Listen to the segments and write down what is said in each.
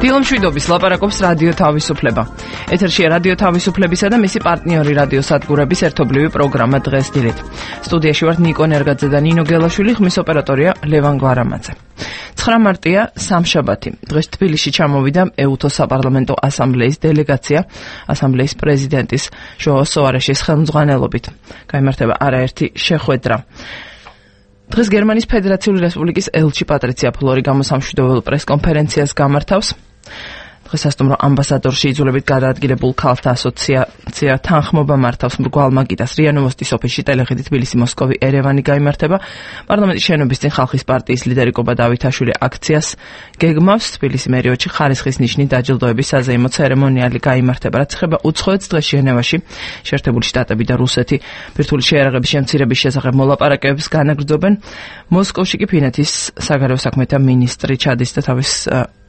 დილომშვიდობის ლაპარაკობს რადიო თავისუფლება. ეთერშია რადიო თავისუფლებისა და მისი პარტნიორი რადიო სადგურების ერთობლივი პროგრამა დღეს დილით. სტუდიაში ვართ ნიკო ნერგაძე და ნინო გელაშვილი, ხმის ოპერატორია ლევან გვარამაძე. 9 მარტია სამშაბათი. დღეს თბილისში ჩამოვიდა ეუთო საპარლამენტო ასამბლეის დელეგაცია, ასამბლეის პრეზიდენტის ჟოო სოარეშის ხელმძღვანელობით. გაიმართება არაერთი შეხვედრა. დღეს გერმანიის ფედერაციული რესპუბლიკის ელჩი პატრიცია ფლორი გამოსამშვიდობელ პრესკონფერენციას გამართავს. დღეს ასტუმრო ამბასადორში იძულებით გადაადგილებულ ქალთა ასოციაცია თანხმობა მართავს მრგვალ მაგიდას რიანოვოსტის ოფისში ტელეხედი თბილისი მოსკოვი ერევანი გაიმართება. პარლამენტის შენობის წინ ხალხის პარტიის ლიდერი კობა დავითაშვილი აქციას გეგმავს. თბილისი მერიოდში ხარისხის ნიშნით დაჯილდოების საზეიმო ცერემონიალი გაიმართება. რაც ეხება უცხოეთს, დღეს ჟენევაში შეერთებული შტატები და რუსეთი ბირთვული შეიარაღების შემცირების შესახებ მოლაპარაკებებს განაგრძობენ. მოსკოვში კი ფინეთის საგარეო საქმეთა მინისტრი ჩადის და თავის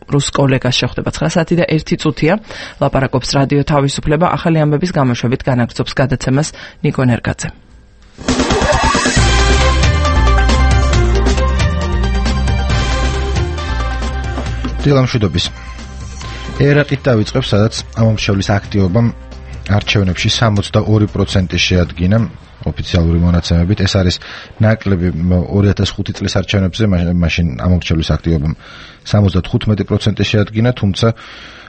რუს კოლეგას შეხვდება. 9 საათი და 1 წუთია. ლაპარაკობს რადიო თავისუფლება. ახალი ამბების გამოშვებით განაგრძობს გადაცემას ნიკო ნერგაძე. დილამშვიდობის. ერაყით დავიწყებს, სადაც ამომრჩევლის აქტივობამ არჩევნებში 62% შეადგინა. ოფიციალური მონაცემებით ეს არის ნაკლები 2005 წლის არჩევნებზე, მაშინ ამომრჩევლის აქტივობამ 75% შეადგინა, თუმცა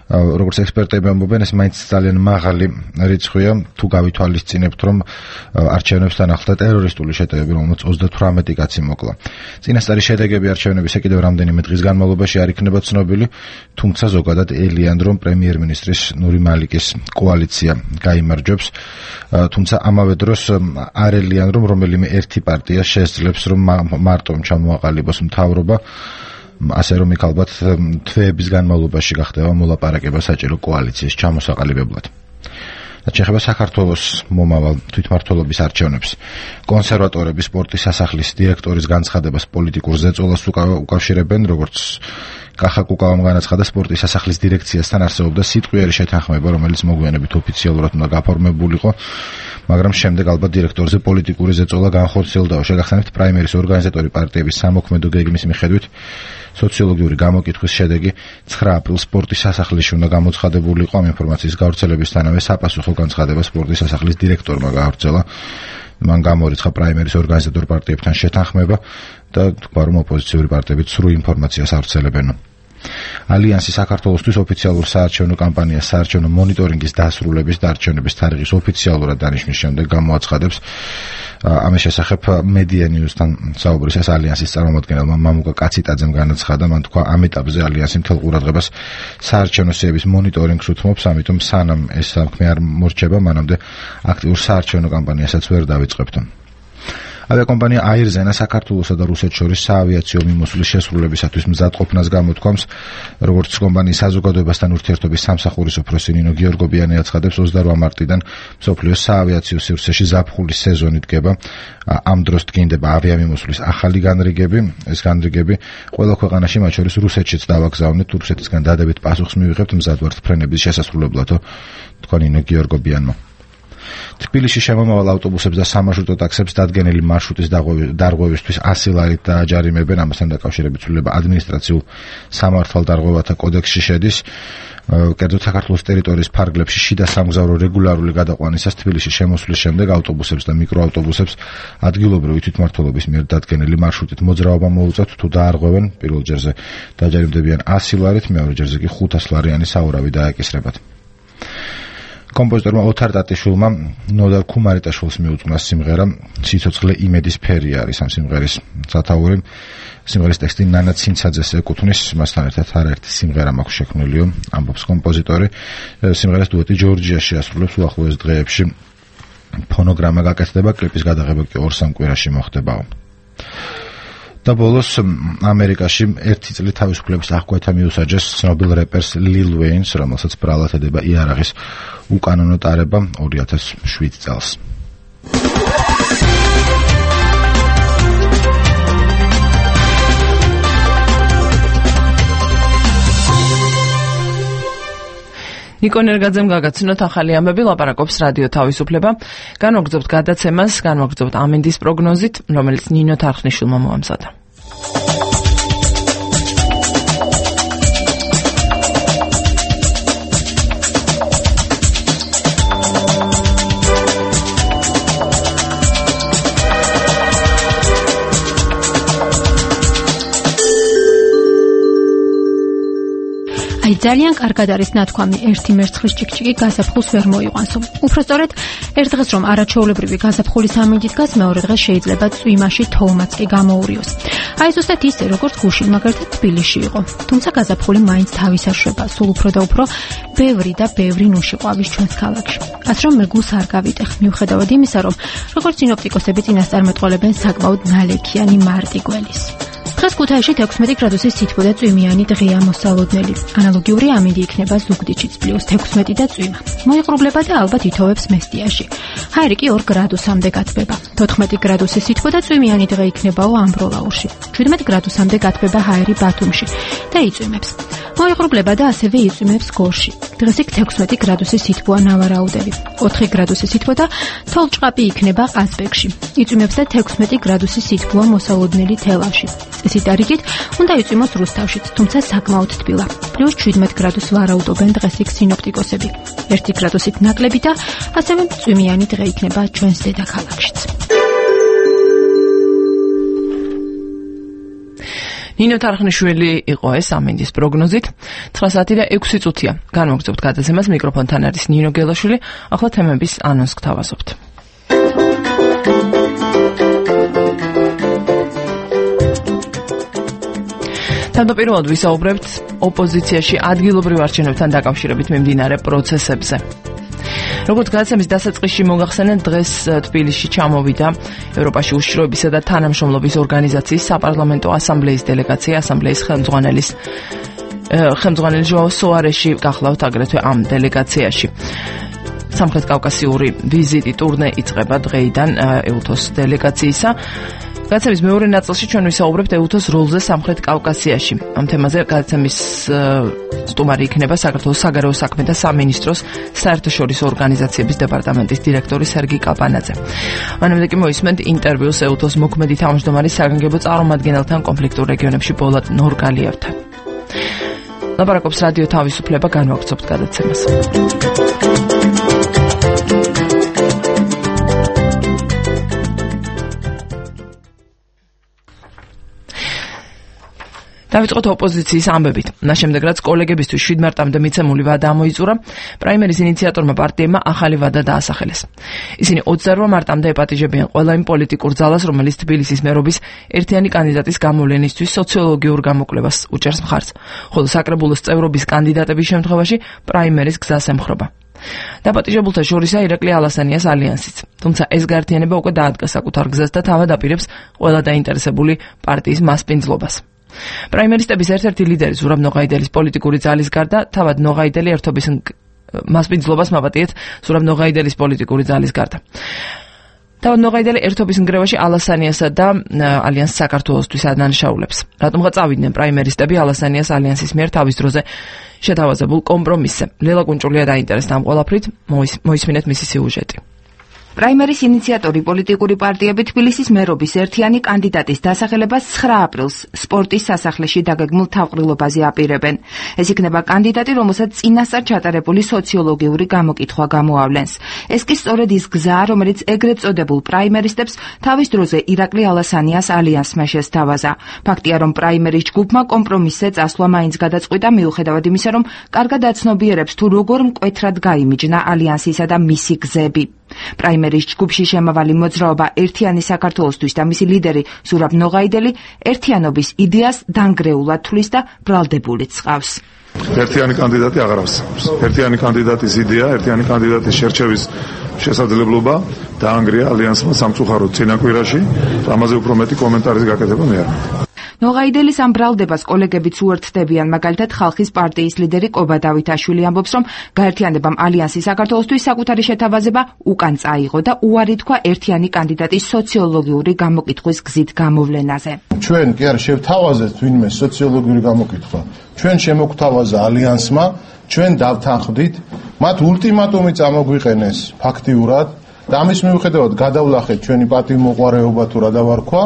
როგორც ექსპერტები ამბობენ, ეს მაინც ძალიან მაღალი რიცხვია, თუ გავითვალისწინებთ, რომ არჩევნებთან ახლდა ტერორისტული შეტევები, რომელმაც 38 კაცი მოკლა. წინასწარი შედეგები არჩევნებისა კიდევ რამდენიმე დღის განმავლობაში არ იქნება ცნობილი, თუმცა ზოგადად ელიან, რომ პრემიერ-მინისტრის ნური მალიკის კოალიცია გაიმარჯვებს, თუმცა ამავე დროს არ ელიან, რომ რომელიმე ერთი პარტია შესძლებს, რომ მარტომ ჩამოაყალიბოს მთავრობა, ასე რომ იქ ალბათ თვეების განმავლობაში გახდება მოლაპარაკება საჭირო კოალიციის ჩამოსაყალიბებლად. შეეხება საქართველოს მომავალ თვითმმართველობის არჩევნებს. კონსერვატორები სპორტის სასახლის დირექტორის განცხადებას პოლიტიკურ ზეწოლას უკავშირებენ, როგორც კახა კუკავამ განაცხადა, სპორტის სასახლის დირექციასთან არსებობდა სიტყვიერი შეთანხმება, რომელიც მოგვიანებით ოფიციალურად უნდა გაფორმებულიყო, მაგრამ შემდეგ ალბათ დირექტორზე პოლიტიკური ზეწოლა განხორციელდა. შეგახსენებთ, პრაიმერის ორგანიზატორი პარტიების სამოქმედო გეგმის მიხედვით სოციოლოგიური გამოკითხვის შედეგი 9 აპრილს სპორტის სასახლეში უნდა გამოცხადებულიყო. ამ ინფორმაციის გავრცელებისთანავე საპასუხო განცხადება სპორტის სასახლის დირექტორმა გაავრცელა. მან გამორიცხა პრაიმერის ორგანიზატორ პარტიებთან შეთანხმება და თქვა, რომ ოპოზიციური პარტიებიც სრულ ინფორმაციას ავრცელებენ. ალიანსი საქართველოსთვის ოფიციალურ საარჩევნო კამპანიას საარჩევნო მონიტორინგის დასრულების და არჩევნების თარიღის ოფიციალურად დანიშნვის შემდეგ გამოაცხადებს. ამის შესახებ Media News-თან საუბრისას ალიანსის წარმომადგენელმა მამუკა კაციტაძემ განაცხადა, მან თქვა, ამ ეტაპზე ალიანსი მთელ ყურადღებას საარჩევნო სიების მონიტორინგს უთმობს, ამიტომ სანამ ეს საქმე არ მორჩება, მანამდე აქტიურ საარჩევნო კამპანიასაც ვერ დავიწყებთ. ავიაკომპანია აირზენა საქართველოსა და რუსეთს შორის საავიაციო მიმოსვლის შესრულებისათვის მზადყოფნას გამოთქვამს. როგორც კომპანიის საზოგადოებასთან ურთიერთობის სამსახურის უფროსი ნინო გიორგობიანი აცხადებს, 28 მარტიდან მსოფლიოს საავიაციო სივრცეში ზაფხულის სეზონი დგება. ამ დროს დგინდება ავიამიმოსვლის ახალი განრიგები. ეს განრიგები ყველა ქვეყანაში, მათ შორის რუსეთშიც დავაგზავნეთ, რუსეთისგან დადებით პასუხს მივიღებთ მზად ვართ ფრენების შესასრულებლად, თქვა ნინო გიორგობიანმა. თბილისში შემომავალ ავტობუსებს და სამარშრუტო ტაქსებს დადგენილი მარშრუტის დარღვევისთვის 100 ლარით დააჯარიმებენ. ამასთან დაკავშირებით ცვლილება ადმინისტრაციულ სამართალდარღვევათა კოდექსში შედის. კერძოდ საქართველოს ტერიტორიის ფარგლებში შიდა სამგზავრო რეგულარული გადაყვანისას თბილისში შემოსვლის შემდეგ ავტობუსებს და მიკროავტობუსებს ადგილობრივი თვითმმართველობის მიერ დადგენილი მარშრუტით მოძრაობა მოუწევთ, თუ დაარღვევენ, პირველ ჯერზე დააჯარიმდებიან 100 ლარით, მეორე ჯერზე კი 500 ლარიანი საურავი დააკისრებათ. კომპოზიტორმა ოთარ ტატიშვილმა ნოდარ ქუმარიტაშვილს მიუძღვნა სიმღერა „სიცოცხლე იმედის ფერი“ არის ამ სიმღერის სათაური. სიმღერის ტექსტი ნანა ცინცაძეს ეკუთვნის, მასთან ერთად არაერთი სიმღერა მაქვს შექმნილიო, ამბობს კომპოზიტორი. სიმღერას დუეტი ჯორჯიაში ასრულებს უახლოეს დღეებში. ფონოგრამა გაკეთდება, კლიპის გადაღება კი 2-3 კვირაში მოხდებაო. და ბოლოს ამერიკაში 1 წლით თავისუფლების აღკვეთა მიუსაჯეს ცნობილ რეპერს ლილ ვეინს, რომელსაც ბრალად ედება იარაღის უკანონო ტარება 2007 წელს. ნიკო ნერგაძემ გაგაცნოთ ახალი ამბები, ლაპარაკობს რადიო თავისუფლება. განვაგრძობთ გადაცემას, განვაგრძობთ ამინდის პროგნოზით, რომელიც ნინო თარხნიშვილმა მოამზადა. აი ძალიან კარგად არის ნათქვამი ერთი მერცხლის ჭიქჭიკი გაზაფხულს ვერ მოიყვანსო. უпростоრედ ერთ დღეს რომ არაჩვეულებრივი გაზაფხულის ამინდით დგას, მეორე დღეს შეიძლება წვიმაში თოვლმაც კი გამოურიოს. აი ზუსტად ისე როგორც გუშინ მაგალითად თბილისში იყო. თუმცა გაზაფხული მაინც თავის არშვება, სულ უფრო და უფრო ბევრი და ბევრი ნუში ყვავის ჩვენს ქალაქში. ასე რომ მე გულს არ გავიტეხ, მიუხედავად იმისა, რომ როგორც სინოპტიკოსები წინასწარმეტყველებენ საკმაოდ ნალექიანი მარტი გველის. დღეს ქუთაისში 16 გრადუსის სითბო და წვიმიანი დღეა მოსალოდნელი. ანალოგიური ამინდი იქნება ზუგდიდშიც +16 და წვიმა. მოიყრუბლება და ალბათ ითოვებს მესტიაში. ჰაერი კი 2 გრადუსამდე გათბება. 14 გრადუსის სითბო და წვიმიანი დღე იქნებაო ამბროლაურში. 17 გრადუსამდე გათბება ჰაერი ბათუმში და იწვიმებს. მოიყრუბლება და ასევე იწვიმებს გორში. დღეს იქ 16 გრადუსის სითბოა ნავარაუდევი. 4 გრადუსის სითბო და თოვლჭყაპი იქნება ყაზბეგში. იწვიმებს და 16 გრადუსის სითბოა მოსალოდნელი თელავში. წესით არიგით უნდა იწვიმოს რუსთავშიც, თუმცა საკმაოდ თბილა. +17 გრადუსს ვარაუდობენ დღეს იქ სინოპტიკოსები. 1 გრადუსით ნაკლები და ასევე წვიმიანი დღე იქნება ჩვენს დედაქალაქშიც. ნინო თარხნიშვილი იყო ეს ამინდის პროგნოზით. 9 საათი და 6 წუთია. განვაგრძობთ გადაცემას, მიკროფონთან არის ნინო გელაშვილი. ახლა თემების ანონსს გთავაზობთ. თავდაპირველად ვისაუბრებთ ოპოზიციაში ადგილობრივ არჩევნებთან დაკავშირებით მიმდინარე პროცესებზე. როგორც გადაცემის დასაწყისში მოგახსენეთ, დღეს თბილისში ჩამოვიდა ევროპაში უშიშროებისა და თანამშრომლობის ორგანიზაციის საპარლამენტო ასამბლეის დელეგაცია, ასამბლეის ხელმძღვანელი ჟოაო სოარეში გახლავთ აგრეთვე ამ დელეგაციაში. სამხრეთ კავკასიური ვიზიტი ტურნე იწყება დღეიდან ეუთოს დელეგაციისა. გადაცემის მეორე ნაწილში ჩვენ ვისაუბრებთ ეუთოს როლზე სამხრეთ კავკასიაში. ამ თემაზე გადაცემის სტუმარი იქნება საქართველოს საგარეო საქმეთა სამინისტროს საერთაშორისო ორგანიზაციების დეპარტამენტის დირექტორი სერგი კაპანაძე. მანამდე კი მოისმენთ ინტერვიუს ეუთოს მოქმედი თავმჯდომარის საგანგებო წარმომადგენელთან კონფლიქტურ რეგიონებში პოლად ნორგალიევთან. ლაპარაკობს რადიო თავისუფლება, განვაგრძობთ გადაცემას. დავიწყოთ ოპოზიციის ამბებით. ნაშემდეგ რაც კოლეგებისთვის 7 მარტამდე მიცემული ვადა ამოიწურა, პრაიმერის ინიციატორმა პარტიებმა ახალი ვადა დაასახელეს. ისინი 28 მარტამდე ეპატიჟებიან ყველა იმ პოლიტიკურ ძალას, რომელიც თბილისის მერობის ერთიანი კანდიდატის გამოვლენისთვის სოციოლოგიურ გამოკვლევას უჭერს მხარს, ხოლო საკრებულოს წევრობის კანდიდატების შემთხვევაში პრაიმერის გზას ემხრობა. დაპატიჟებულთა შორისაა ირაკლი ალასანიას ალიანსიც. თუმცა ეს გაერთიანება უკვე დაადგა საკუთარ გზას და თავად აპირებს ყველა დაინტერესებული პარტიის მასპინძლობას. პრაიმერისტების ერთ-ერთი ლიდერი ზურაბ ნოღაიდელის პოლიტიკური ძალის გარდა თავად ნოღაიდელი ერთობის მასპინძლობას მაპატიეთ ზურაბ ნოღაიდელის პოლიტიკური ძალის გარდა. თავად ნოღაიდელი ერთობის ნგრევაში ალასანიასა და ალიანს საქართველოსთვის ადანაშაულებს. რატომღა წავიდნენ პრაიმერისტები ალასანიას ალიანსის მიერ თავის დროზე შეთავაზებულ კომპრომისზე. ლელა კუნჭულია დაინტერესდა ამ ყველაფრით, მოისმინეთ მისი სიუჟეტი. პრაიმერის ინიციატორი პოლიტიკური პარტიები თბილისის მერობის ერთიანი კანდიდატის დასახელებას 9 აპრილს სპორტის სასახლეში დაგეგმულ თავყრილობაზე აპირებენ. ეს იქნება კანდიდატი, რომელსაც წინასწარ ჩატარებული სოციოლოგიური გამოკითხვა გამოავლენს. ეს კი სწორედ ის გზაა, რომელიც ეგრეთ წოდებულ პრაიმერისტებს თავის დროზე ირაკლი ალასანიას ალიანსმა შესთავაზა. ფაქტია, რომ პრაიმერის ჯგუფმა კომპრომისზე წასვლა მაინც გადაწყვიტა, მიუხედავად იმისა, რომ კარგად აცნობიერებს თუ როგორ მკვეთრად გაიმიჯნა ალიანსისა და მისი გზები. პრაიმერის ჯგუფში შემავალი მოძრაობა ერთიანი საქართველოსთვის და მისი ლიდერი ზურაბ ნოღაიდელი ერთიანობის იდეას დანგრეულად თვლის და ბრალდებულიც ყავს. ერთიანი კანდიდატი აღარ არსებობს. ერთიანი კანდიდატის იდეა, ერთიანი კანდიდატის შერჩევის შესაძლებლობა დაანგრია ალიანსმა სამწუხაროდ წინაკვირაში. ამაზე უფრო მეტი კომენტარის გაკეთება მე არ მინდა. ნოღაიდელის ამ ბრალდებას კოლეგებიც უერთდებიან, მაგალითად ხალხის პარტიის ლიდერი კობა დავითაშვილი ამბობს, რომ გაერთიანებამ ალიანსი საქართველოსთვის საკუთარი შეთავაზება უკან წაიღო და უარი თქვა ერთიანი კანდიდატის სოციოლოგიური გამოკითხვის გზით გამოვლენაზე. ჩვენ კი არ შევთავაზეთ ვინმე სოციოლოგიური გამოკითხვა. ჩვენ შემოგთავაზა ალიანსმა, ჩვენ დავთანხმდით, მათ ულტიმატუმი წამოგვიყენეს ფაქტიურად და ამის მიუხედავად გადავლახეთ ჩვენი პარტიულ მოყვარეობა თუ რა დავარქვა.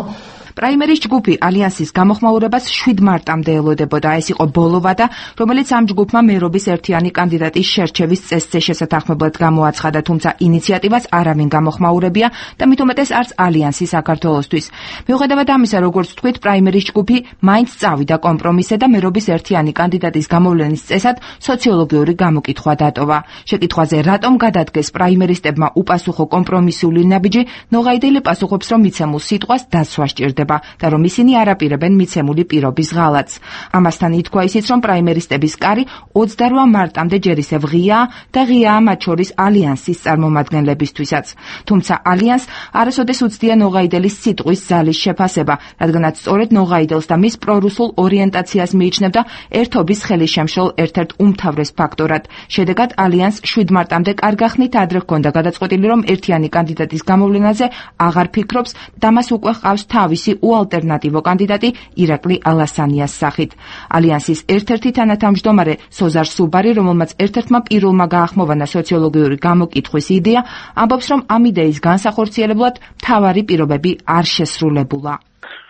პრაიმერის ჯგუფი ალიანსის გამოხმაურებას 7 მარტამდე ელოდებოდა. ეს იყო ბოლო ვადა, რომელიც ამ ჯგუფმა მერობის ერთიანი კანდიდატის შერჩევის წესზე შესათანხმებლად გამოაცხადა, თუმცა ინიციატივას არავინ გამოხმაურებია და მით უმეტეს არც ალიანსი საქართველოსთვის. მიუხედავად ამისა, როგორც თქვით, პრაიმერის ჯგუფი მაინც წავიდა კომპრომისზე და მერობის ერთიანი კანდიდატის გამოვლენის წესად სოციოლოგიური გამოკითხვა დატოვა. შეკითხვაზე, რატომ გადადგეს პრაიმერისტებმა უპასუხო კომპრომისული ნაბიჯი, ნოღაიდელი პასუხობს, რომ მიცემულ სიტყვას დაცვა სჭირდება და რომ ისინი არ აპირებენ მიცემული პირობის ღალატს. ამასთან ითქვა ისიც, რომ პრაიმერისტების კარი 28 მარტამდე ჯერ ისევ ღიაა და ღიაა მათ შორის ალიანსის წარმომადგენლებისთვისაც. თუმცა ალიანს არასოდეს უცდია ნოღაიდელის სიტყვის ზალის შეფასება, რადგანაც სწორედ ნოღაიდელს და მის პრორუსულ ორიენტაციას მიიჩნევდა ერთობის ხელისშემშლელ ერთ-ერთ უმთავრეს ფაქტორად. შედეგად ალიანს 7 მარტამდე კარგახნით ადრე ჰქონდა გადაწყვეტილი, რომ ერთიანი კანდიდატის გამოვლენაზე აღარ ფიქრობს და მას უკვე ჰყავს თავისი უალტერნატივო კანდიდატი ირაკლი ალასანიას სახით. ალიანსის ერთ-ერთი თანათავმჯდომარე სოზარ სუბარი, რომელმაც ერთ-ერთმა პირულმა გაახმოვანა სოციოლოგიური გამოკითხვის იდეა, ამბობს, რომ ამ იდეის განსახორციელებლად მთავარი პირობები არ შესრულებულა.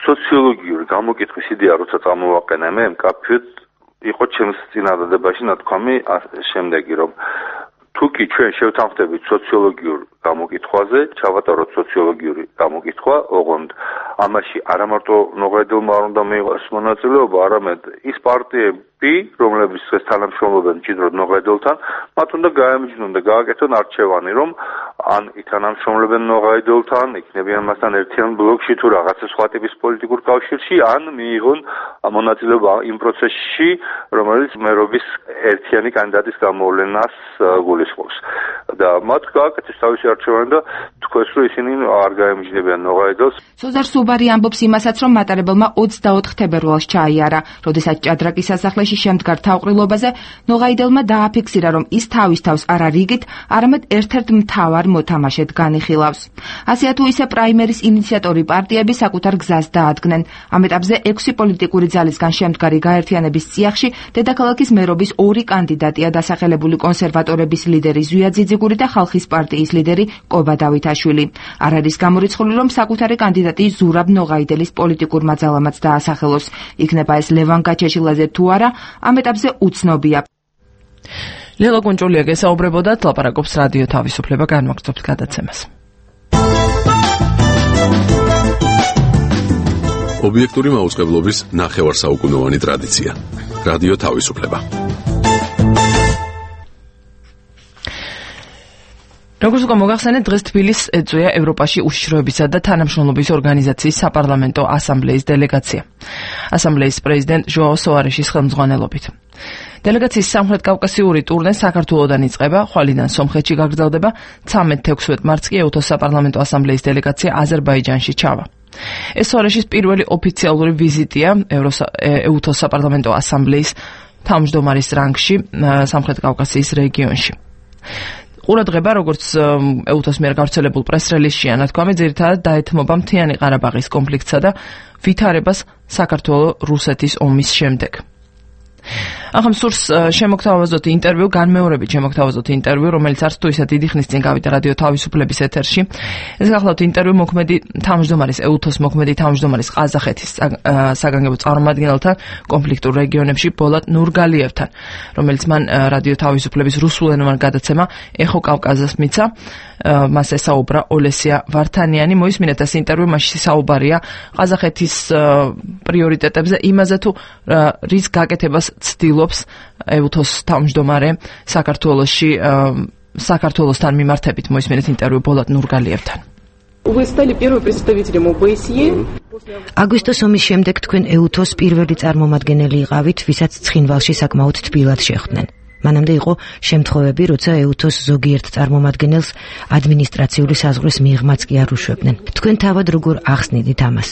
სოციოლოგიური გამოკითხვის იდეა, როცა წამოვაყენე მე, მკაფიოდ იყო ჩემს წინადადებაში ნათქვამი შემდეგი, რომ თუკი ჩვენ შევთანხმდებით სოციოლოგიურ გამოკითხვაზე, ჩავატაროთ სოციოლოგიური გამოკითხვა, ოღონდ ამაში არა მარტო ნოღაიდელმა არ უნდა მიიღოს მონაწილეობა, არამედ ის პარტიები, რომლებიც ეს თანამშრომლობენ მჭიდროდ ნოღაიდელთან, მათ უნდა გაემჯნონ და გააკეთონ არჩევანი, რომ ან ითანამშრომლებენ ნოღაიდელთან, იქნებიან მასთან ერთიან ბლოკში თუ რაღაცა სხვა ტიპის პოლიტიკურ კავშირში, ან მიიღონ მონაწილეობა იმ პროცესში, რომელიც მერობის ერთიანი კანდიდატის გამოვლენას გულისხმობს. და მათ გააკეთეს თავისი არჩევანი და თქვენს რომ ისინი არ გაემჯნებიან ნოღაიდელს. სოზარ სუბარი ამბობს იმასაც, რომ მატარებელმა 24 თებერვალს ჩაიარა, როდესაც ჭადრაკის სასახლეში შემდგარ თავყრილობაზე ნოღაიდელმა დააფიქსირა, რომ ის თავის თავს არა რიგით, არამედ ერთ-ერთ მთავარ მოთამაშედ განიხილავს. ასეა თუ ისე პრაიმერის ინიციატორი პარტიები საკუთარ გზას დაადგნენ. ამ ეტაპზე 6 პოლიტიკური ძალისგან შემდგარი გაერთიანების წიაღში დედაქალაქის მერობის 2 კანდიდატია დასახელებული კონსერვატორების ლიდერი ზვია ძიძიგური და ხალხის პარტიის ლიდერი კობა დავითაშვილი. არ არის გამორიცხული, რომ საკუთარი კანდიდატი ზურაბ ნოღაიდელის პოლიტიკურმა ძალამაც დაასახელოს. იქნება ეს ლევან გაჩეჩილაძე თუ არა, ამ ეტაპზე უცნობია. ლელა კუნჭულია გესაუბრებოდა, ლაპარაკობს რადიო თავისუფლება, განმაგრძობთ გადაცემას. ობიექტური მაუწყებლობის ნახევარსაუკუნოვანი ტრადიცია. რადიო თავისუფლება. როგორც უკვე მოგახსენეთ, დღეს თბილისს ეწვია ევროპაში უშიშროებისა და თანამშრომლობის ორგანიზაციის საპარლამენტო ასამბლეის დელეგაცია. ასამბლეის პრეზიდენტ ჟოაო სოარეშის ხელმძღვანელობით. დელეგაციის სამხრეთ-კავკასიური ტურნე საქართველოდან იწყება, ხვალიდან სომხეთში გაგრძელდება, 13-16 მარტს კი ეუთოს საპარლამენტო ასამბლეის დელეგაცია აზერბაიჯანში ჩავა. ეს სოარეშის პირველი ოფიციალური ვიზიტია ეუთოს საპარლამენტო ასამბლეის თავმჯდომარის რანგში სამხრეთ-კავკასიის რეგიონში. ყურადღება, როგორც ეუთოს მიერ გავრცელებულ პრეს-რელიზში ანათქვამი, ძირითადად დაეთმობა მთიანი ყარაბაღის კონფლიქტსა და ვითარებას საქართველო-რუსეთის ომის შემდეგ. ახლა სურს შემოგთავაზოთ ინტერვიუ, განმეორებით შემოგთავაზოთ ინტერვიუ, რომელიც არც თუ ისე დიდი ხნის წინ გავიდა რადიო თავისუფლების ეთერში. ეს გახლავთ ინტერვიუ მოქმედი თავმჯდომარის, ეუთოს მოქმედი თავმჯდომარის ყაზახეთის საგანგებო წარმომადგენელთან კონფლიქტურ რეგიონებში ბოლატ ნურგალიევთან, რომელიც მან რადიო თავისუფლების რუსულენოვან გადაცემა ეხო კავკაზას მიცა. მას ესაუბრა ოლესია ვართანიანი. მოისმინეთ ეს ინტერვიუ, მასში საუბარია ყაზახეთის პრიორიტეტებზე, იმაზე თუ რის გაკეთებას ცდილობს ეუთოს თავმჯდომარე საქართველოსთან მიმართებით. მოისმინეთ ინტერვიუ ბოლატ ნურგალიევთან. აგვისტოს ომის შემდეგ თქვენ ეუთოს პირველი წარმომადგენელი იყავით, ვისაც ცხინვალში საკმაოდ თბილად შეხვდნენ. მანამდე იყო შემთხვევები, როცა ეუთოს ზოგიერთ წარმომადგენელს ადმინისტრაციული საზღვრის მიღმაც კი არ უშვებდნენ. თქვენ თავად როგორ ახსნიდით ამას?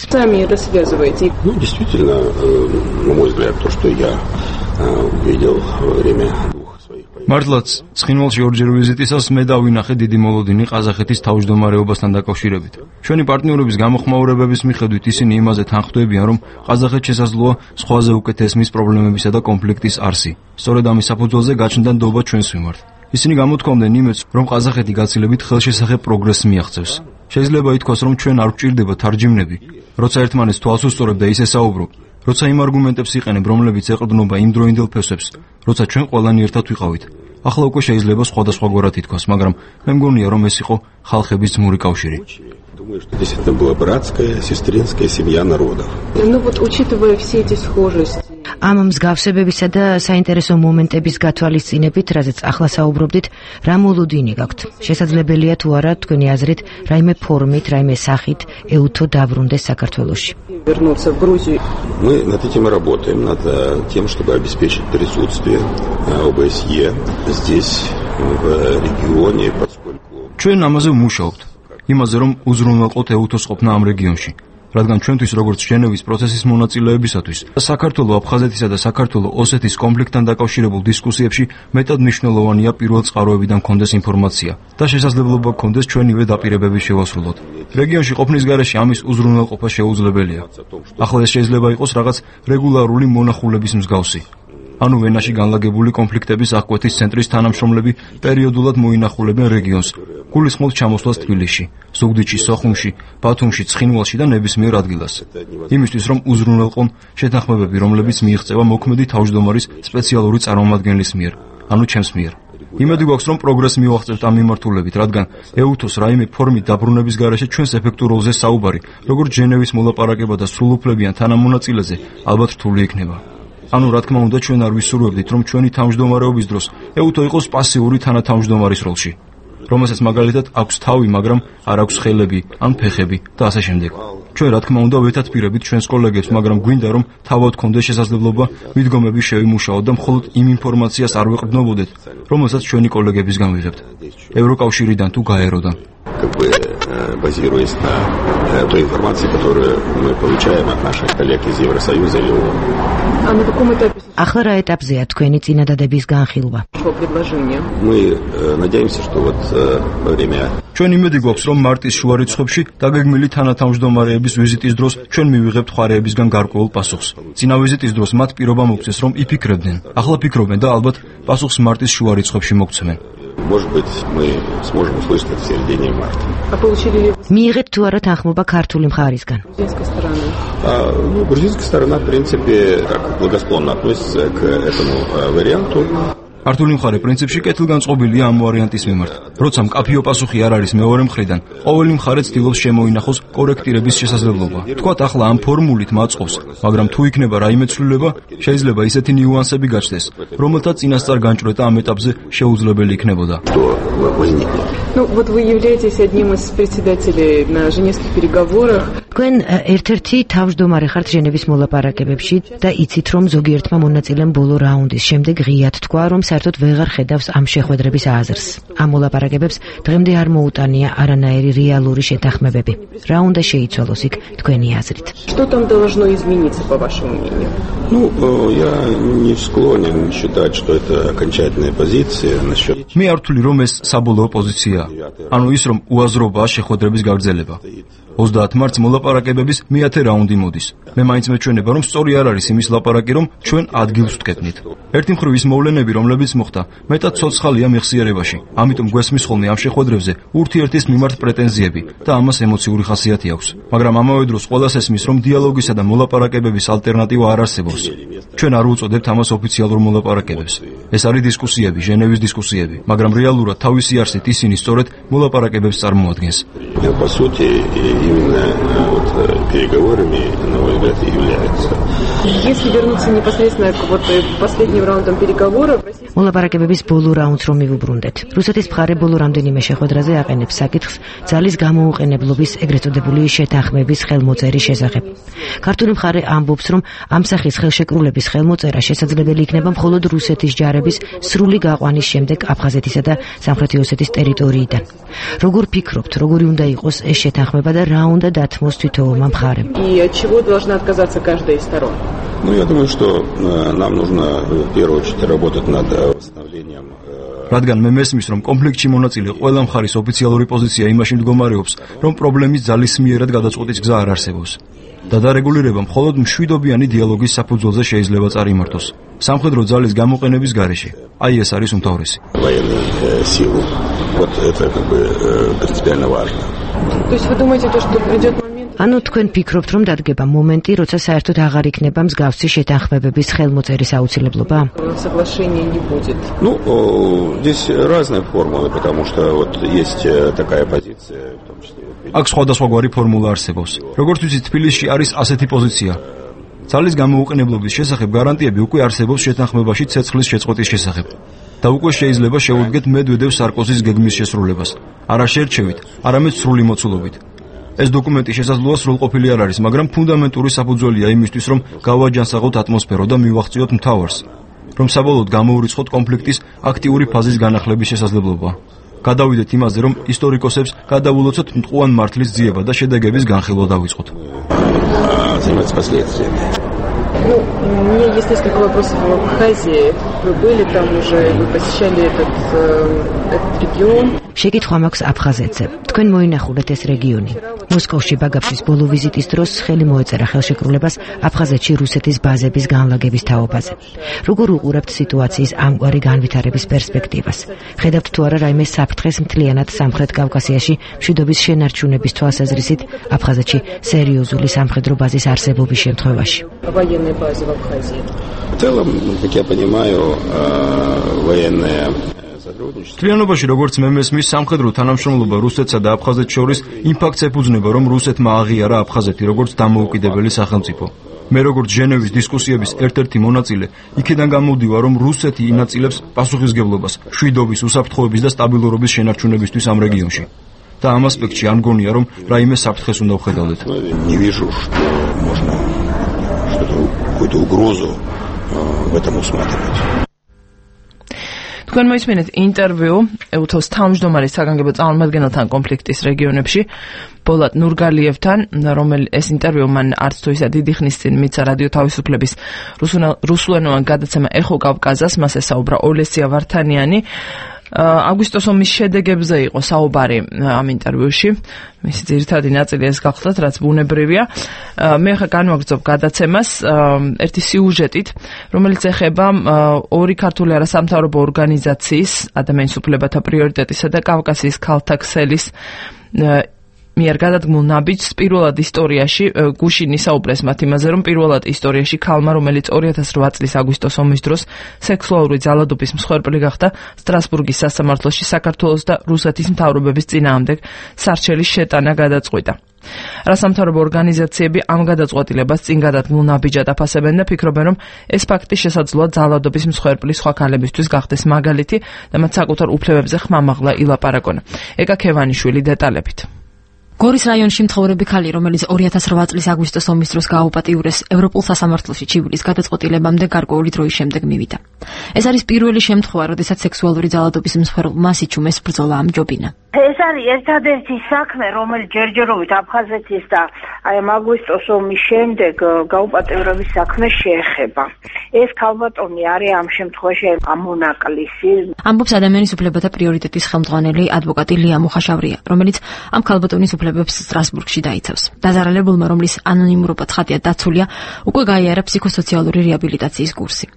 მართლაც, ცხინვალში ორჯერ ვიზიტისას მე დავინახე დიდი მოლოდინი ყაზახეთის თავმჯდომარეობასთან დაკავშირებით. ჩვენი პარტნიორების გამოხმაურებების მიხედვით ისინი იმაზე თანხმდებიან, რომ ყაზახეთს შესაძლოა სხვაზე უკეთ ესმის პრობლემებისა და კონფლიქტის არსი. სწორედ ამის საფუძველზე გაჩნდა ნდობა ჩვენს მიმართ. ისინი გამოთქვამდნენ იმედს, რომ ყაზახეთი გაცილებით ხელშესახებ პროგრესს მიაღწევს. შეიძლება ითქვას, რომ ჩვენ არ გვჭირდება თარჯიმნები, როცა ერთმანეთს თვალს უსწორებ და ისე საუბრობ, როცა იმ არგუმენტებს იყენებ, რომლებიც ეყრდნობა იმდროინდელ ფესვებს, როცა ჩვენ ყველანი ერთად ვიყავით. ახლა უკვე შეიძლება სხვადასხვაგვარად ითქვას, მაგრამ მე მგონია, რომ ეს იყო ხალხების ძმური კავშირი. Думаю, что действительно была братская, сестринская семья народов. Ну вот, учитывая все эти схожести. ამ მსგავსებებისა და საინტერესო მომენტების გათვალისწინებით, რაზეც ახლა საუბრობდით, რა მოლოდინი გაქვთ? შესაძლებელია თუ არა თქვენი აზრით, რაიმე форумით, რაიმე სახით ეუთო დაბრუნდეს საქართველოში? Вернуться в Грузию. Мы над этим работаем, над тем, чтобы обеспечить присутствие ОБСЕ здесь, в регионе, поскольку... ჩვენ ამაზე ვმუშაობთ. იმაზე, რომ უზრუნველყოთ ეუთოს ყოფნა ამ რეგიონში. რადგან ჩვენთვის როგორც ჟენევის პროცესის მონაწილეებისათვის საქართველოს აფხაზეთისა და საქართველოს ოსეთის კონფლიქტთან დაკავშირებულ დისკუსიებში მეტად მნიშვნელოვანია პირველ წყაროებიდან გქონდეს ინფორმაცია და შესაძლებლობა გქონდეს ჩვენივე დაპირებების შევასრულოთ. რეგიონში ყოფნის გარეშე ამის უზრუნველყოფა შეუძლებელია. ახლა ეს შეიძლება იყოს რაღაც რეგულარული მონახულების მსგავსი. ანუ ვენაში განლაგებული კონფლიქტების აღკვეთის ცენტრის თანამშრომლები პერიოდულად მოინახულებენ რეგიონს, გულისხმობ ჩამოსვლას თბილისში, ზუგდიდში, სოხუმში, ბათუმში, ცხინვალში და ნებისმიერ ადგილას. იმისთვის, რომ უზრუნველყონ შეთანხმებები, რომლებიც მიიღწევა მოქმედი თავმჯდომარის სპეციალური წარმომადგენლის მიერ, ანუ ჩემს მიერ. იმედი გვაქვს, რომ პროგრესი მივაღწევთ ამ მიმართულებით, რადგან ეუთოს რაიმე ფორმით დაბრუნების გარეშე ჩვენს ეფექტურ როლზე საუბარი, როგორც ჟენევის მოლაპარაკება და სრულუფლებიან თანამონაწილეზე, ალბათ რთული იქნება. ანუ რა თქმა უნდა ჩვენ არ ვისურვებდით რომ ჩვენი თავმჯდომარეობის დროს ეუთო იყოს პასიური თანათავმჯდომარის როლში, რომელსაც მაგალითად აქვს თავი, მაგრამ არ აქვს ხელები ან ფეხები და ასე შემდეგ. ჩვენ რა თქმა უნდა ვეთათბირებით ჩვენს კოლეგებს, მაგრამ გვინდა რომ თავად გქონდეს შესაძლებლობა მიდგომები შევიმუშაოთ და მხოლოდ იმ ინფორმაციას არ ვეყრდნობოდეთ, რომელსაც ჩვენი კოლეგებისგან ვიღებთ. ევროკავშირიდან თუ გაეროდან. Базируясь на той информации, которую мы получаем от наших коллег из Евросоюза или ООН. А на каком этапе? ახლა რა ეტაპზეა თქვენი წინადადების განხილვა? Мы надеемся, что вот во время ჩვენ იმედი გვაქვს, რომ მარტის შუა რიცხვებში დაგეგმილი თანათავმჯდომარეების ვიზიტის დროს ჩვენ მივიღებთ ხარეებისგან გარკვეულ პასუხს. წინა ვიზიტის დროს მათ პირობა მოგვცეს, რომ იფიქრებდნენ. ახლა ფიქრობენ და ალბათ პასუხს მარტის შუა რიცხვებში მოგცემენ. Может быть, мы сможем услышать это в середине марта. მიიღეთ თუ არა თანხმობა ქართული მხარისგან? Грузинская сторона, в принципе, так благосклонно относится к этому варианту. ქართული მხარე პრინციპში კეთილგანწყობილია ამ ვარიანტის მიმართ. როცა მკაფიო პასუხი არ არის მეორე მხრიდან, ყოველი მხარე ცდილობს შემოინახოს კორექტირების შესაძლებლობა. თქვათ ახლა ამ ფორმულით მაწყობს, მაგრამ თუ იქნება რაიმე ცვლილება, შეიძლება ისეთი ნიუანსები გაჩნდეს, რომელთა წინასწარ განჭვრეტა ამ ეტაპზე შეუძლებელი იქნებოდა. Ну, вот вы являетесь одним из председателей на Женевских переговорах. თქვენ ერთ-ერთი თავმჯდომარე ხართ ჟენევის მოლაპარაკებებში და იცით რომ ზოგიერთმა მონაწილემ ბოლო რაუნდის შემდეგ ღიად თქვა რომ საერთოდ ვეღარ ხედავს ამ შეხვედრების აზრს. ამ მოლაპარაკებებს დღემდე არ მოუტანია არანაირი რეალური შეთანხმებები. რა უნდა შეიცვალოს იქ თქვენი აზრით? Что там должно измениться по вашему мнению? Ну, я не склонен считать, что это окончательная позиция насчет. მე არ ვთვლი რომ ეს საბოლოო პოზიციაა. ანუ ის რომ უაზრობაა შეხვედრების გაგრძელება. 30 მარტს მოლაპარაკებების მე-10 რაუნდი მოდის. მე მაინც მეჩვენება რომ სწორი არ არის იმის ლაპარაკი რომ ჩვენ ადგილს ვტკეთნით. ერთი მხრივ ის მოვლენები რომლებიც მოხდა მეტად ცოცხალია მეხსიერებაში. ამიტომ გვესმის ხოლმე ამ შეხვედრებზე ურთიერთის მიმართ პრეტენზიები და ამას ემოციური ხასიათი აქვს. მაგრამ ამავე დროს ყველას ესმის რომ დიალოგისა და მოლაპარაკებების ალტერნატივა არ არსებობს. ჩვენ არ უწოდებთ ამას ოფიციალურ მოლაპარაკებებს. ეს არის დისკუსიები, ჟენევის დისკუსიები, მაგრამ რეალურად თავისი არსით ისინი სწორედ молопаракებებს წარმოადგენს. По сути, именно вот переговорами, на мой взгляд, и является. Если вернуться непосредственно к вот последним раундам переговоров, მოლაპარაკებების ბოლო რაუნდს რომ მივუბრუნდეთ. რუსეთის მხარე ბოლო რამდენიმე შეხვედრაზე აყენებს საკითხს ძალის გამოუყენებლობის ეგრეთ წოდებული შეთანხმების ხელმოწერის შესახებ. ქართული მხარე ამბობს, რომ ამ სახის ხელშეკრულების ხელმოწერა შესაძლებელი იქნება მხოლოდ რუსეთის ჯარების სრული გაყვანის შემდეგ აფხაზეთისა და სამხრეთი ოსეთის ტერიტორიიდან. როგორ ფიქრობთ, როგორი უნდა იყოს ეს შეთანხმება და რა უნდა დათმოს თითოეულმა მხარემ? И от чего должна отказаться каждая из сторон? Ну, я думаю, что нам нужно в первую очередь работать над восстановлением. რადგან მე მესმის, რომ კონფლიქტში მონაწილე ყველა მხარის ოფიციალური პოზიცია იმაში მდგომარეობს, რომ პრობლემის ძალისმიერად გადაწყვეტის გზა არ არსებობს. და დარეგულირება მხოლოდ მშვიდობიანი დიალოგის საფუძველზე შეიძლება წარიმართოს. სამხედრო ძალის გამოყენების გარეშე. აი ეს არის უმთავრესი. Военные силы. Вот это как бы принципиально важно. То есть вы думаете, что придет момент... ანუ თქვენ ფიქრობთ, რომ დადგება მომენტი, როცა საერთოდ აღარ იქნება მსგავსი შეთანხმებების ხელმოწერის აუცილებლობა? Соглашения не будет. Ну, здесь разные формулы, потому что вот есть такая позиция, в том числе... აქ სხვადასხვაგვარი ფორმულა არსებობს. როგორც ვიცით, თბილისში არის ასეთი პოზიცია. ძალის გამოუყენებლობის შესახებ გარანტიები უკვე არსებობს შეთანხმებაში ცეცხლის შეწყვეტის შესახებ. და უკვე შეიძლება შეუდგეთ მედვედევ სარკოზის გეგმის შესრულებას. არა შერჩევით, არამედ სრული მოცულობით. ეს დოკუმენტი შესაძლოა სრულყოფილი არ არის, მაგრამ ფუნდამენტური საფუძველია იმისთვის, რომ გავაჯანსაღოთ ატმოსფერო და მივახციოთ მთავარს, რომ საბოლოოდ გამოურიცხოთ კონფლიქტის აქტიური ფაზის განახლების შესაძლებლობა. გადავიდეთ იმაზე, რომ ისტორიკოსებს გადავულოცოთ მტყუან მართლის ძიება და შედეგების განხილვა დავიწყოთ. Заниматься последствиями. Ну, у меня есть несколько вопросов в Абхазии. Вы были там уже, вы посещали этот регион. შეკითხვა მაქვს აფხაზეთზე. თქვენ მოინახულეთ ეს რეგიონი. მოსკოვში ბაგაფშის ბოლო ვიზიტის დროს ხელი მოეწერა ხელშეკრულებას აფხაზეთში რუსეთის ბაზების განლაგების თაობაზე. როგორ უყურებთ სიტუაციის ამგვარი განვითარების პერსპექტივას? ხედავთ თუ არა რაიმე საფრთხეს მთლიანად სამხრეთ კავკასიაში მშვიდობის შენარჩუნების თვალსაზრისით აფხაზეთში სერიოზული სამხედრო ბაზის არსებობის შემთხვევაში? Военной базе в Абхазии. В целом, как я понимаю, военная Ტრიანობაში როგორც მე მესმის სამხედრო თანამშრომლობა რუსეთსა და აფხაზეთს შორის იმ ფაქტს ეფუძნება, რომ რუსეთმა აღიარა აფხაზეთი როგორც დამოუკიდებელი სახელმწიფო. მე როგორც ჟენევის დისკუსიების ერთ-ერთი მონაწილე, იქიდან გამოვდივარ, რომ რუსეთი ინაწილებს პასუხისმგებლობას მშვიდობის, უსაფრთხოების და სტაბილურობის შენარჩუნებისთვის ამ რეგიონში. და ამ ასპექტში არ მგონია, რომ რაიმე საფრთხეს უნდა ვხედავდეთ. Не вижу, что можно какую-то угрозу в этом усматривать. თქვენ მოისმინეთ ინტერვიუ EUTOS თავმჯდომარის საგანგებო წარმომადგენელთან კონფლიქტის რეგიონებში ბოლატ ნურგალიევთან, ეს ინტერვიუ მან არც თუ ისა დიდი ხნის წინ მიცა რადიო თავისუფლების რუსულენოვან გადაცემა ეხო კავკაზას, მას ესაუბრა ოლესია ვართანიანი. აგვისტოს ომის შედეგებზე იყო საუბარი ამ ინტერვიუში. მისი ძირითადი ნაწილი ეს გახლდათ, რაც ბუნებრივია. მე ხა განვაგრძობ გადაცემას ერთი სიუჟეტით, რომელიც ეხება ორი ქართული არასამთავრობო ორგანიზაციის ადამიანის უფლებათა პრიორიტეტისა და კავკასიის ქალთა ქსელის მიერ გადადგმულ ნაბიჯს პირველად ისტორიაში გუშინ ისაუბრეს მათ იმაზე, რომ პირველად ისტორიაში ქალმა, რომელიც 2008 წლის აგვისტოს ომის დროს სექსუალური ძალადობის მსხვერპლი გახდა, სტრასბურგის სასამართლოში საქართველოს და რუსეთის მთავრობების წინააღმდეგ სარჩელის შეტანა გადაწყვიტა. რასამთავრობო ორგანიზაციები ამ გადაწყვეტილებას წინ გადადგმულ ნაბიჯად აფასებენ და ფიქრობენ, რომ ეს ფაქტი შესაძლოა ძალადობის მსხვერპლის სხვა ქალებისთვის გახდეს მაგალითი და მათ საკუთარ უფლებებზე ხმამაღლა ილაპარაკონ. ეკა ქევანიშვილი დეტალებით. გორის რაიონში მცხოვრები ქალი, რომელიც 2008 წლის აგვისტოს ომის დროს გააუპატიურეს ევროპულ სასამართლოში ჩივილის გადაწყვეტილებამდე გარკვეული დროის შემდეგ მივიდა. ეს არის პირველი შემთხვევა, როდესაც სექსუალური ძალადობის მსხვერპლმა სიჩუმეს ბრძოლა ამჯობინა. ეს არის ერთადერთი საქმე, რომელიც ჯერჯერობით აფხაზეთის და აი ამ აგვისტოს ომის შემდეგ გაუპატიურების საქმეს შეეხება. ეს ქალბატონი არის ამ შემთხვევაში ამონაკლისი. ამბობს ადამიანის უფლებათა პრიორიტეტის ხელმძღვანელი ადვოკატი ლია მუხაშავრია, რომელიც ამ ქალბატონის უფლებებს სტრასბურგში დაიცავს. დაზარალებულმა, რომლის ანონიმურობაც ხატია დაცულია, უკვე გაიარა ფსიქოსოციალური რეაბილიტაციის კურსი.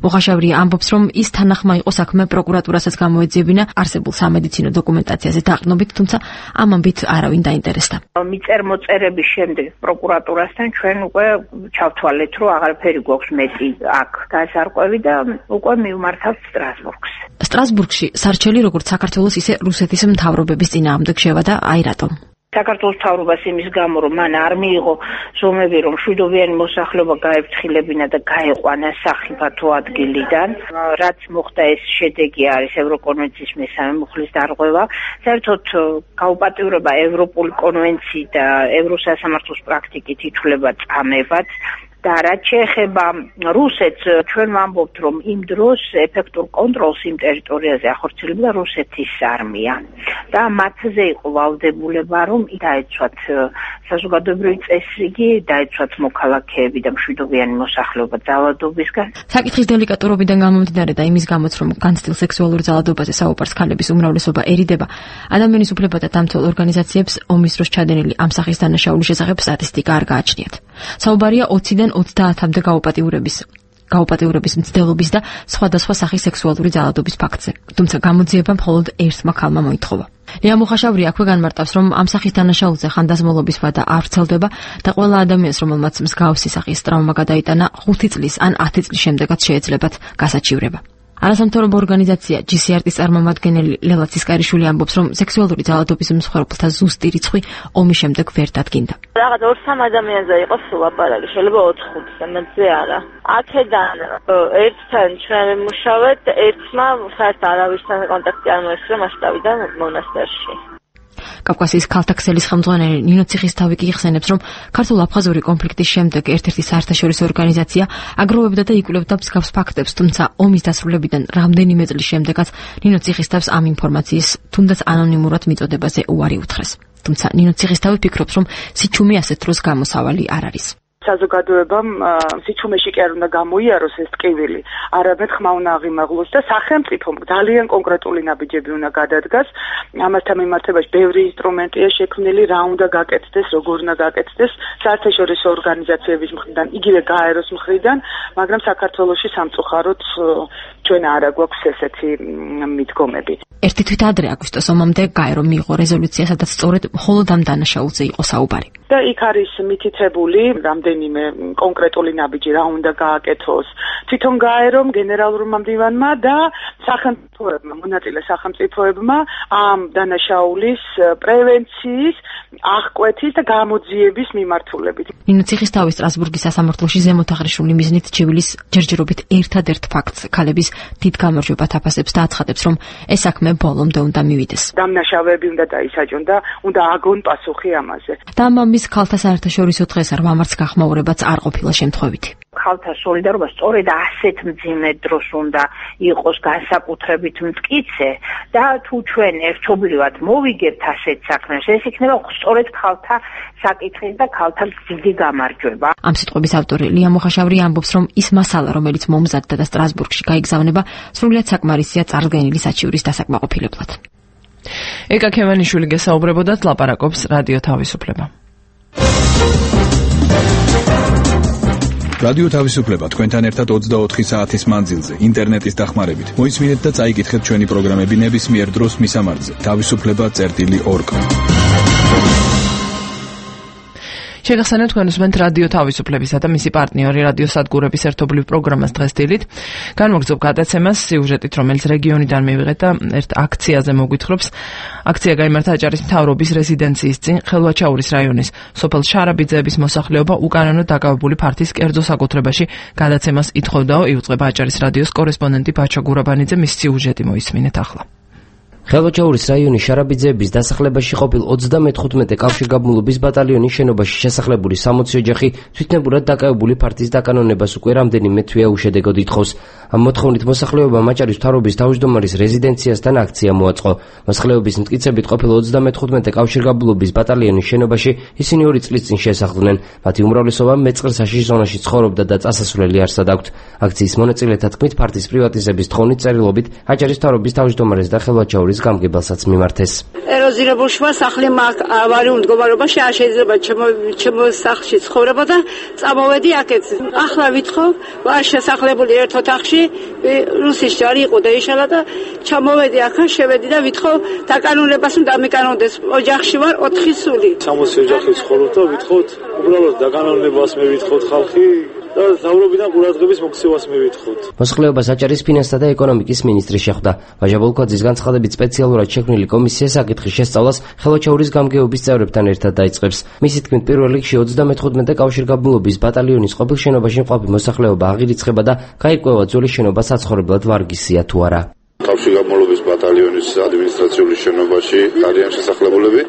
მუხაშავრია ამბობს, რომ ის თანახმა იყო საქმე პროკურატურასაც გამოეძიებინა არსებულ სამედიცინო დოკუმენტაციაზე დაყრდნობით, თუმცა ამ ამბით არავინ დაინტერესდა. მიწერ-მოწერების შემდეგ პროკურატურასთან ჩვენ უკვე ჩავთვალეთ, რომ აღარაფერი გვაქვს მეტი აქ გასარკვევი და უკვე მივმართავთ სტრასბურგს. სტრასბურგში სარჩელი როგორც საქართველოს, ისე რუსეთის მთავრობების წინააღმდეგ შევადა, აი რატომ. საქართველოს მთავრობას იმის გამო, რომ მან არ მიიღო ზომები, რომ მშვიდობიანი მოსახლეობა გაეფრთხილებინა და გაეყვანა სახიფათო ადგილიდან, რაც მოხდა ეს შედეგი არის ევროკონვენციის მესამე მუხლის დარღვევა. საერთოდ გაუპატიურება ევროპული კონვენციით და ევროსასამართლოს პრაქტიკით ითვლება წამებად. და რაც შეეხება რუსეთს, ჩვენ ვამბობთ, რომ იმ დროს ეფექტურ კონტროლს იმ ტერიტორიაზე ახორციელებდა რუსეთის არმია და მათზე იყო ვალდებულება, რომ დაეცვათ საზოგადოებრივი წესრიგი, დაეცვათ მოქალაქეები და მშვიდობიანი მოსახლეობა ძალადობისგან. საკითხის დელიკატურობიდან გამომდინარე და იმის გამოც, რომ განცდილ სექსუალურ ძალადობაზე საუბარს ქალების უმრავლესობა ერიდება, ადამიანის უფლებათა დამცველ ორგანიზაციებს ომის დროს ჩადენილი ამ სახის დანაშაულის შესახებ სტატისტიკა არ გააჩნიათ. საუბარია 20-დან 30-მდე გაუპატიურების. გაუპატეურების მცდელობის და სხვადასხვა სახის სექსუალური ძალადობის ფაქტზე. თუმცა გამოძიება მხოლოდ ერთმა ქალმა მოითხოვა. ლია მუხაშავრი აქვე განმარტავს, რომ ამ სახის დანაშაულზე ხანდაზმულობის ვადა არ ვრცელდება და ყველა ადამიანს, რომელმაც მსგავსი სახის ტრავმა გადაიტანა 5 წლის ან 10 წლის შემდეგაც შეეძლებათ გასაჩივრება. არასამთავრობო ორგანიზაცია GCRT-ის წარმომადგენელი ლელა ცისკარიშვილი ამბობს, რომ სექსუალური ძალადობის მსხვერპლთა ზუსტი რიცხვი ომის შემდეგ ვერ დადგინდა. რაღაც 2-3 ადამიანზე იყოს ლაპარაკი, შეიძლება 4-5-ზე, მეტზე არა. აქედან ერთთან ჩვენ ვიმუშავეთ, ერთმა საერთოდ არავისთან კონტაქტი არ მოესწრო მასშტაბიდან მონასტერში. კავკასიის ქალთა ქსელის ხელმძღვანელი ნინო ციხისთავი კი იხსენებს, რომ ქართულ-აფხაზური კონფლიქტის შემდეგ ერთ-ერთი საერთაშორისო ორგანიზაცია აგროვებდა და იკვლევდა მსგავს ფაქტებს, თუმცა ომის დასრულებიდან რამდენიმე წლის შემდეგაც ნინო ციხისთავს ამ ინფორმაციის თუნდაც ანონიმურად მიწოდებაზე უარი უთხრეს. თუმცა ნინო ციხისთავი ფიქრობს, რომ სიჩუმე ასეთ დროს გამოსავალი არ არის. საზოგადოებამ სიჩუმეში კი არ უნდა გამოიაროს ეს ტკივილი, არამედ ხმა უნდა აღიმაღლოს და სახელმწიფომ ძალიან კონკრეტული ნაბიჯები უნდა გადადგას. ამასთან მიმართებაში ბევრი ინსტრუმენტია შექმნილი, რა უნდა გაკეთდეს, როგორ უნდა გაკეთდეს საერთაშორისო ორგანიზაციების მხრიდან, იგივე გაეროს მხრიდან, მაგრამ საქართველოში სამწუხაროდ ჩვენ არ აგვაქვს ესეთი მიდგომები. ერთი თვით ადრე აგვისტოს ომამდე გაერო მიიღო რეზოლუცია, სადაც სწორედ მხოლოდ ამ დანაშაულზე იყო საუბარი. და იქ არის მითითებული რამდენიმე კონკრეტული ნაბიჯი, რა უნდა გააკეთოს თვითონ გაერომ, გენერალურმა მდივანმა და სახელმწიფოებმა, მონაწილე სახელმწიფოებმა ამ დანაშაულის პრევენციის, აღკვეთის და გამოძიების მიმართულებით. ნინო ციხისთავი სტრასბურგის სასამართლოში ზემოთ აღნიშნული მიზნით ჩივილის ჯერჯერობით ერთადერთ ფაქტს ქალების დიდ გამარჯვებად აფასებს და აცხადებს, რომ ეს საქმე ბოლომდე უნდა მივიდეს. დამნაშავეები უნდა დაისაჯონ და უნდა აგონ პასუხი ამაზე. და ამის ქალთა საერთაშორისო დღეს 8 მარტს გახმაურებაც არ ყოფილა შემთხვევითი. ქალთა სოლიდარობა სწორედ ასეთ მძიმე დროს უნდა იყოს განსაკუთრებით მტკიცე და თუ ჩვენ ერთობლივად მოვიგებთ ასეთ საქმეს, ეს იქნება სწორედ ქალთა საკითხი და ქალთა დიდი გამარჯვება. ამ სიტყვების ავტორი ლია მუხაშავრი ამბობს, რომ ის მასალა, რომელიც მომზადდა და სტრასბურგში გაიგზავნება, სრულიად საკმარისია წარდგენილი საჩივრის დასაკმაყოფილებლად. ეკა ქემანიშვილი გესაუბრებოდათ, ლაპარაკობს რადიო თავისუფლება. რადიო თავისუფლება თქვენთან ერთად 24 საათის მანძილზე ინტერნეტის დახმარებით. მოისმინეთ და წაიკითხეთ ჩვენი პროგრამები ნებისმიერ დროს მისამართზე. თავისუფლება.org. შეგახსენებთ თქვენ უსმენთ რადიო თავისუფლებისა და მისი პარტნიორი რადიო სადგურების ერთობლივ პროგრამას დღეს დილით. განმოგრძობ გადაცემას სიუჟეტით, რომელიც რეგიონიდან მივიღეთ და ერთ აქციაზე მოგვითხრობს. აქცია გაიმართა აჭარის მთავრობის რეზიდენციის წინ ხელვაჩაურის რაიონის სოფელ შარაბიძეების მოსახლეობა უკანონო დაკავებული ფართის კერძო საკუთრებაში გადაცემას ითხოვდაო. იუწყება აჭარის რადიოს კორესპონდენტი ბაჩა გურაბანიძე, მის სიუჟეტი მოისმინეთ ახლა. ხელვაჩაურის რაიონის შარაბიძეების დასახლებაში ყოფილ 35 კავშირგაბმულობის ბატალიონის შენობაში შესახლებული 60 ოჯახი თვითნებურად დაკავებული ფართის დაკანონებას უკვე რამდენიმე თვეა უშედეგოდ ითხოვს. ამ მოთხოვნით მოსახლეობამ აჭარის მთავრობის თავმჯდომარის რეზიდენციასთან აქცია მოაწყო. მოსახლეობის მტკიცებით ყოფილ 35 კავშირგაბმულობის ბატალიონის შენობაში ისინი 2 წლის წინ შესახლდნენ. მათი უმრავლესობა მეწყერსაში ზონაში ცხოვრობდა და წასასვლელი არსად აქვთ. აქციის მონაწილეთა თქმით, ფართის პრივატიზების თხოვნით წერილობით აჭარის მთავრობის თავმჯდომარეს და ხელვაჩაურის გამგებელსაც მიმართეს. ეროზირებულ შუა სახლი ავარიულ მდგომარეობაში არ შეიძლება ჩემო სახლში ცხოვრება და წამოვედი აქეთ. ახლა ვითხოვ, ვარ შესახლებული ერთ ოთახში, რუსის ჯარი იყო და იშალა და ჩამოვედი აქან, შევედი და ვითხოვ დაკანონებას უნდა მეკანონდეს. ოჯახში ვარ 4 სული. 60 ოჯახი ცხოვრობ და ვითხოვთ უბრალოდ დაკანონებას მე ვითხოვთ ხალხი. და მთავრობიდან ყურადღების მოქცევას მივითხოთ. მოსახლეობას აჭარის ფინანსთა და ეკონომიკის მინისტრი შეხვდა. ვაჟა ბოლქვაძის განცხადებით სპეციალურად შექმნილი კომისია საკითხის შესწავლას ხელვაჩაურის გამგეობის წევრებთან ერთად დაიწყებს. მისი თქმით, პირველ რიგში 35 კავშირგაბმულობის ბატალიონის ყოფილ შენობაში მყოფი მოსახლეობა აღირიცხება და გაიკვევა ძველი შენობა საცხოვრებლად ვარგისია თუ არა. კავშირგაბმულობის ბატალიონის ადმინისტრაციული შენობაში არიან შესახლებულები.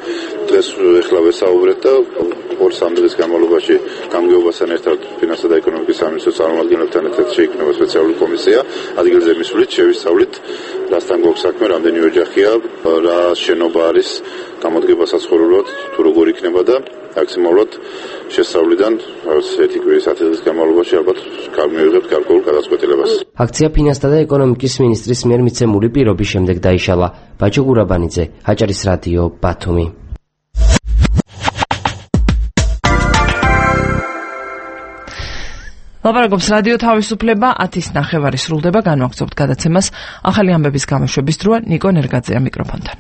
დღეს ეხლა ვესაუბრეთ და 2-3 დღის განმავლობაში გამგეობასთან ერთად ფინანსთა და ეკონომიკის სამინისტროს წარმომადგენლებთან ერთად შეიქმნება სპეციალური კომისია. ადგილზე მისვლით შევისწავლით, რასთან გვაქვს საქმე, რამდენი ოჯახია, რა შენობა არის, გამოდგება საცხოვრებლად, თუ როგორ იქნება და მაქსიმალურად შესწავლიდან 1 კვირის 10 დღის განმავლობაში ალბათ გამივიღებთ გარკვეულ გადაწყვეტილებას. აქცია ფინანსთა და ეკონომიკის მინისტრის მიერ მიცემული პირობის შემდეგ დაიშალა. ბაჩო გურაბანიძე, აჭარის რადიო, ბათუმი. ლაპარაკობს რადიო თავისუფლება 10:09 სრულდება განვაგრძობთ გადაცემას ახალი ამბების გამოშვების დროა ნიკო ნერგაძეა მიკროფონთან.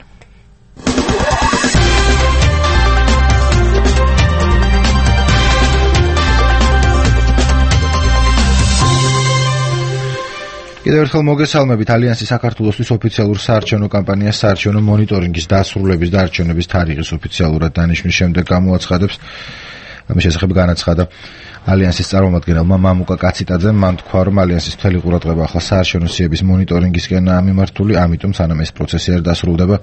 კიდევ ერთხელ მოგესალმებით ალიანსის საქართველოსთვის ოფიციალურ საარჩევნო კამპანიას საარჩევნო მონიტორინგის დასრულების და არჩევნების თარიღის ოფიციალურად დანიშვნის შემდეგ გამოაცხადებს. ამის შესახებ განაცხადა ალიანსის წარმომადგენელმა მამუკა კაციტაძემ. მან თქვა, რომ ალიანსის მთელი ყურადღება ახლა საარჩევნო სიების მონიტორინგისკენაა მიმართული, ამიტომ სანამ ეს პროცესი არ დასრულდება,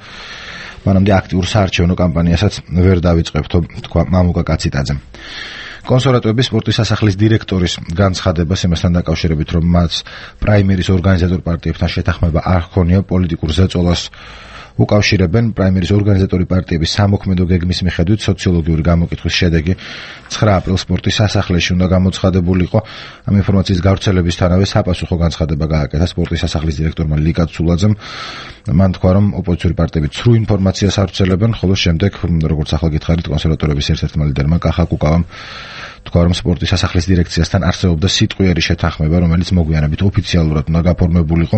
მანამდე აქტიურ საარჩევნო კამპანიასაც ვერ დავიწყებთ, თქვა მამუკა კაციტაძემ. კონსერვატორების სპორტის სასახლის დირექტორის განცხადებას იმასთან დაკავშირებით, რომ მათ პრაიმერის ორგანიზატორ პარტიებთან შეთანხმება არ ჰქონია პოლიტიკურ ზეწოლას უკავშირებენ. პრაიმერის ორგანიზატორი პარტიების სამოქმედო გეგმის მიხედვით სოციოლოგიური გამოკითხვის შედეგი 9 აპრილს სპორტის სასახლეში უნდა გამოცხადებულიყო. ამ ინფორმაციის გავრცელებისთანავე საპასუხო განცხადება გააკეთა სპორტის სასახლის დირექტორმა ლიკა ცულაძემ. მან თქვა, რომ ოპოზიციური პარტიები ცრუ ინფორმაციას ავრცელებენ, ხოლო შემდეგ, როგორც ახლა გითხარით, კონსერვატორების ერთ-ერთმა ლიდერმა კახა კუკავამ თქვა, რომ სპორტის სასახლის დირექციასთან არსებობდა სიტყვიერი შეთანხმება, რომელიც მოგვიანებით ოფიციალურად უნდა გაფორმებულიყო,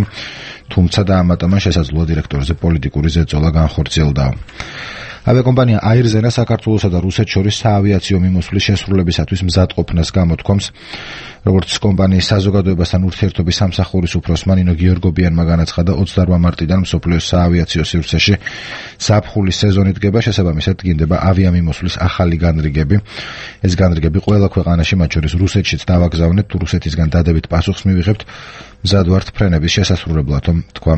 თუმცა დაამატა შესაძლოა დირექტორზე პოლიტიკური ზეწოლა განხორციელდაო. ავიაკომპანია აირზენა საქართველოსა და რუსეთს შორის საავიაციო მიმოსვლის შესრულებისათვის მზადყოფნას გამოთქვამს. როგორც კომპანიის საზოგადოებასთან ურთიერთობის სამსახურის უფროსმა ნინო გიორგობიანმა განაცხადა, 28 მარტიდან მსოფლიოს საავიაციო სივრცეში ზაფხულის სეზონი დგება, შესაბამისად დგინდება ავიამიმოსვლის ახალი განრიგები. ეს განრიგები ყველა ქვეყანაში, მათ შორის რუსეთშიც დავაგზავნეთ, თუ რუსეთისგან დადებით პასუხს მივიღებთ, მზად ვართ ფრენების შესასრულებლად, თქვა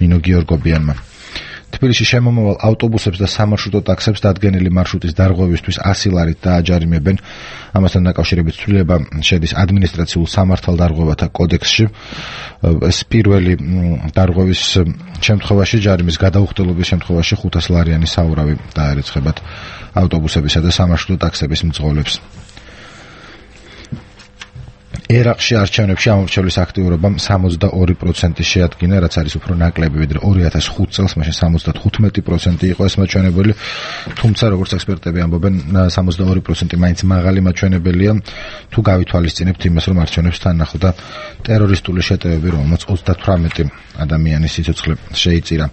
ნინო გიორგობიანმა. თბილისში შემომავალ ავტობუსებს და სამარშრუტო ტაქსებს დადგენილი მარშრუტის დარღვევისთვის 100 ლარით დააჯარიმებენ. ამასთან დაკავშირებით ცვლილება შედის ადმინისტრაციულ სამართალდარღვევათა კოდექსში. ეს პირველი დარღვევის შემთხვევაში, ჯარიმის გადაუხდელობის შემთხვევაში 500 ლარიანი საურავი დაერეცხებათ ავტობუსებისა და სამარშრუტო ტაქსების მძღოლებს. ერაყში არჩევნებში ამორჩევლის აქტიურობამ 62% შეადგინა, რაც არის უფრო ნაკლები ვიდრე 2005 წელს, მაშინ 75% იყო ეს მაჩვენებელი, თუმცა როგორც ექსპერტები ამბობენ, 62% მაინც მაღალი მაჩვენებელია, თუ გავითვალისწინებთ იმას, რომ არჩევნებს თან ახლდა ტერორისტული შეტევები, რომელმაც 38 ადამიანის სიცოცხლე შეიწირა.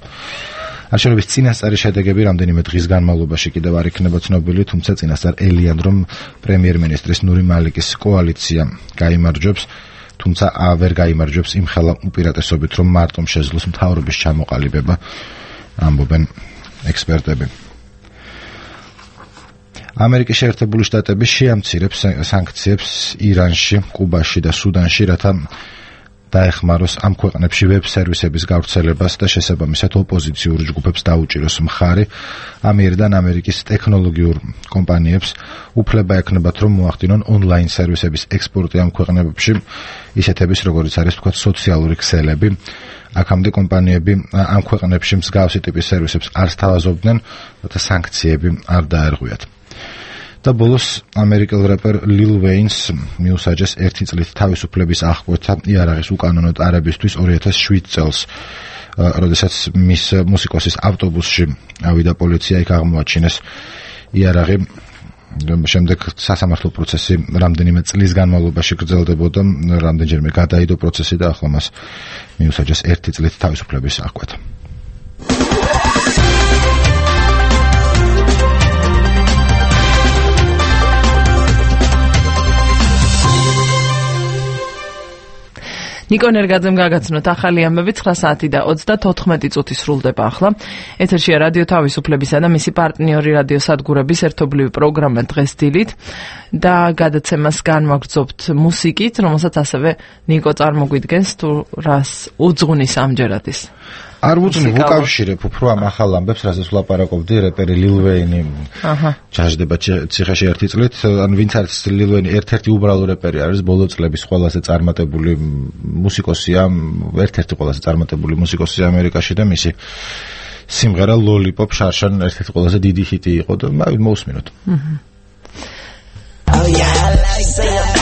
არჩევნების წინასწარი შედეგები რამდენიმე დღის განმავლობაში კიდევ არ იქნება ცნობილი, თუმცა წინასწარ ელიან, რომ პრემიერ-მინისტრის ნური მალიკის კოალიცია გაიმარჯვებს, თუმცა ვერ გაიმარჯვებს იმ ხელა უპირატესობით, რომ მარტომ შეძლოს მთავრობის ჩამოყალიბება, ამბობენ ექსპერტები. ამერიკის შეერთებული შტატები შეამცირებს სანქციებს ირანში, კუბაში და სუდანში, რათა დაეხმაროს ამ ქვეყნებში ვებ სერვისების გავრცელებას და შესაბამისად ოპოზიციურ ჯგუფებს დაუჭიროს მხარი. ამიერიდან ამერიკის ტექნოლოგიურ კომპანიებს უფლება ექნებათ, რომ მოახდინონ ონლაინ სერვისების ექსპორტი ამ ქვეყნებში, ისეთების როგორიც არის თქვა სოციალური ქსელები. აქამდე კომპანიები ამ ქვეყნებში მსგავსი ტიპის სერვისებს არ სთავაზობდნენ, რათა სანქციები არ დაერღვიათ. და ბოლოს ამერიკელ რეპერ ლილ ვეინს მიუსაჯეს 1 წლით თავისუფლების აღკვეთა იარაღის უკანონო ტარებისთვის 2007 წელს, როდესაც მის მუსიკოსის ავტობუსში ავიდა პოლიცია, იქ აღმოაჩინეს იარაღი. შემდეგ სასამართლო პროცესი რამდენიმე წლის განმავლობაში გრძელდებოდა, რამდენჯერმე გადაიდო პროცესი და ახლა მას მიუსაჯეს 1 წლით თავისუფლების აღკვეთა. ნიკო ნერგაძემ გაგაცნოთ ახალი ამბები 9 საათი და 34 წუთი სრულდება ახლა. ეთერშია რადიო თავისუფლებისა და მისი პარტნიორი რადიო სადგურების ერთობლივი პროგრამა დღეს დილით და გადაცემას განვაგრძობთ მუსიკით, რომელსაც ასევე ნიკო წარმოგვიდგენს, თუ რას უძღვნის ამჯერად ის. არ ვუძვნი, ვუკავშირებ უფრო ამ ახალ ამბებს, რასაც ვლაპარაკობდი, რეპერი ლილ ვეინი ჩაждდება ციხეში 1 წლით, ან ვინც არის ლილ ვეინი, ერთ-ერთი უბრალო რეპერი არის, ბოლო წლების ყველაზე წარმატებული მუსიკოსია, ერთ-ერთი ყველაზე წარმატებული მუსიკოსია ამერიკაში და მისი სიმღერა Lollipop შარშან ერთ-ერთი ყველაზე დიდი ჰიტი იყო და მოусმინოთ. Oh yeah, I like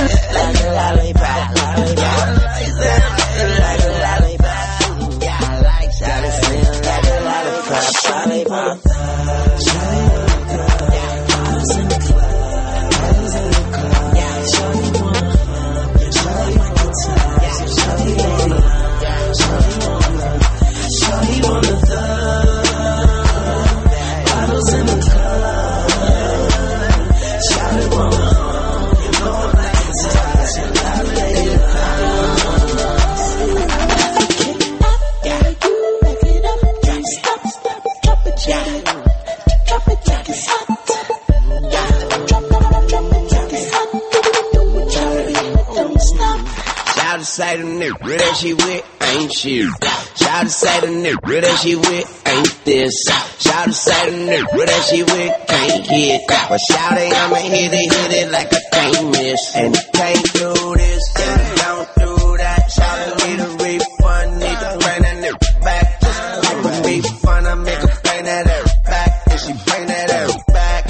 Shout to say the nigga that she with ain't shit. Shout to say the nigga that she with ain't this. Shout to say the nigga that she with can't hit. But shout it, I'ma hit it like I can't miss. And you can't do this, and you don't do that. Shout to need a refund, need to bring that nigga back. Just like a refund, I make her bring that ass back. And she bring that ass back.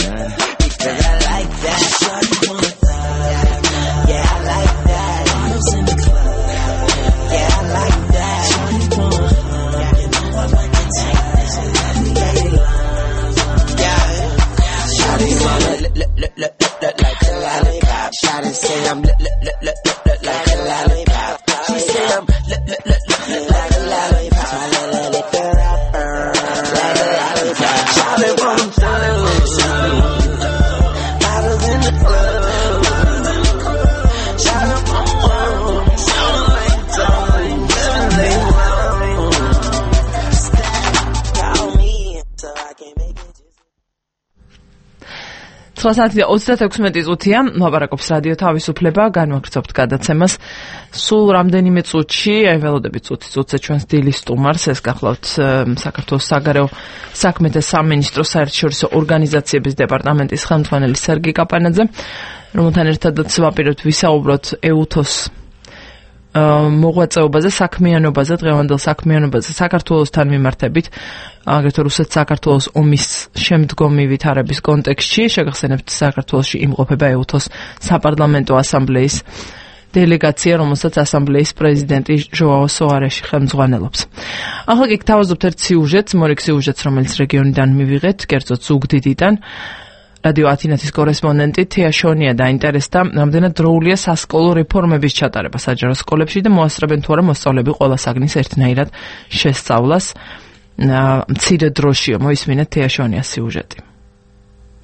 Because I like that. Yeah, I like that. Yeah, I like that. Shawty wanna look like a lollipop. Shawty say I'm look like a lollipop. She say I'm look like a lollipop. My lick her rapper like a lollipop. Shawty wanna bottles in the club. Shawty wanna sound like time, call me so I can make it. 9:36 წუთია, მოლაპარაკობს რადიო თავისუფლება, განვაგრძობთ გადაცემას. სულ რამდენიმე წუთში, აი ველოდებით წუთზე ჩვენს დილის სტუმარს, ეს გახლავთ საქართველოს საგარეო საქმეთა სამინისტროს საერთაშორისო ორგანიზაციების დეპარტამენტის ხელმძღვანელი სერგი კაპანაძე, რომელთან ერთადაც ვაპირებთ ვისაუბროთ EUTOS მოღვაწეობაზე, საქმიანობაზე, დღევანდელ საქმიანობაზე საქართველოსთან მიმართებით, აგრეთვე რუსეთ-საქართველოს ომის შემდგომი ვითარების კონტექსტში, შეგახსენებთ საქართველოში იმყოფება EUTOS საპარლამენტო ასამბლეის დელეგაცია, რომელსაც ასამბლეის პრეზიდენტი ჟოაო სოარეში ხელმძღვანელობს. ახლა კი გთავაზობთ ერთ სიუჟეტს, მორიგ სიუჟეტს, რომელიც რეგიონიდან მივიღეთ, კერძოდ ზუგდიდიდან. რადიო ათინათის კორესპონდენტი თეა შონია დაინტერესდა, რამდენად დროულია სასკოლო რეფორმების ჩატარება საჯარო სკოლებში და მოასწრებენ თუ არა მოსწავლეები ყველა საგნის ერთნაირად შესწავლას. მცირე დროშია, მოისმინეთ თეა შონიას სიუჟეტი.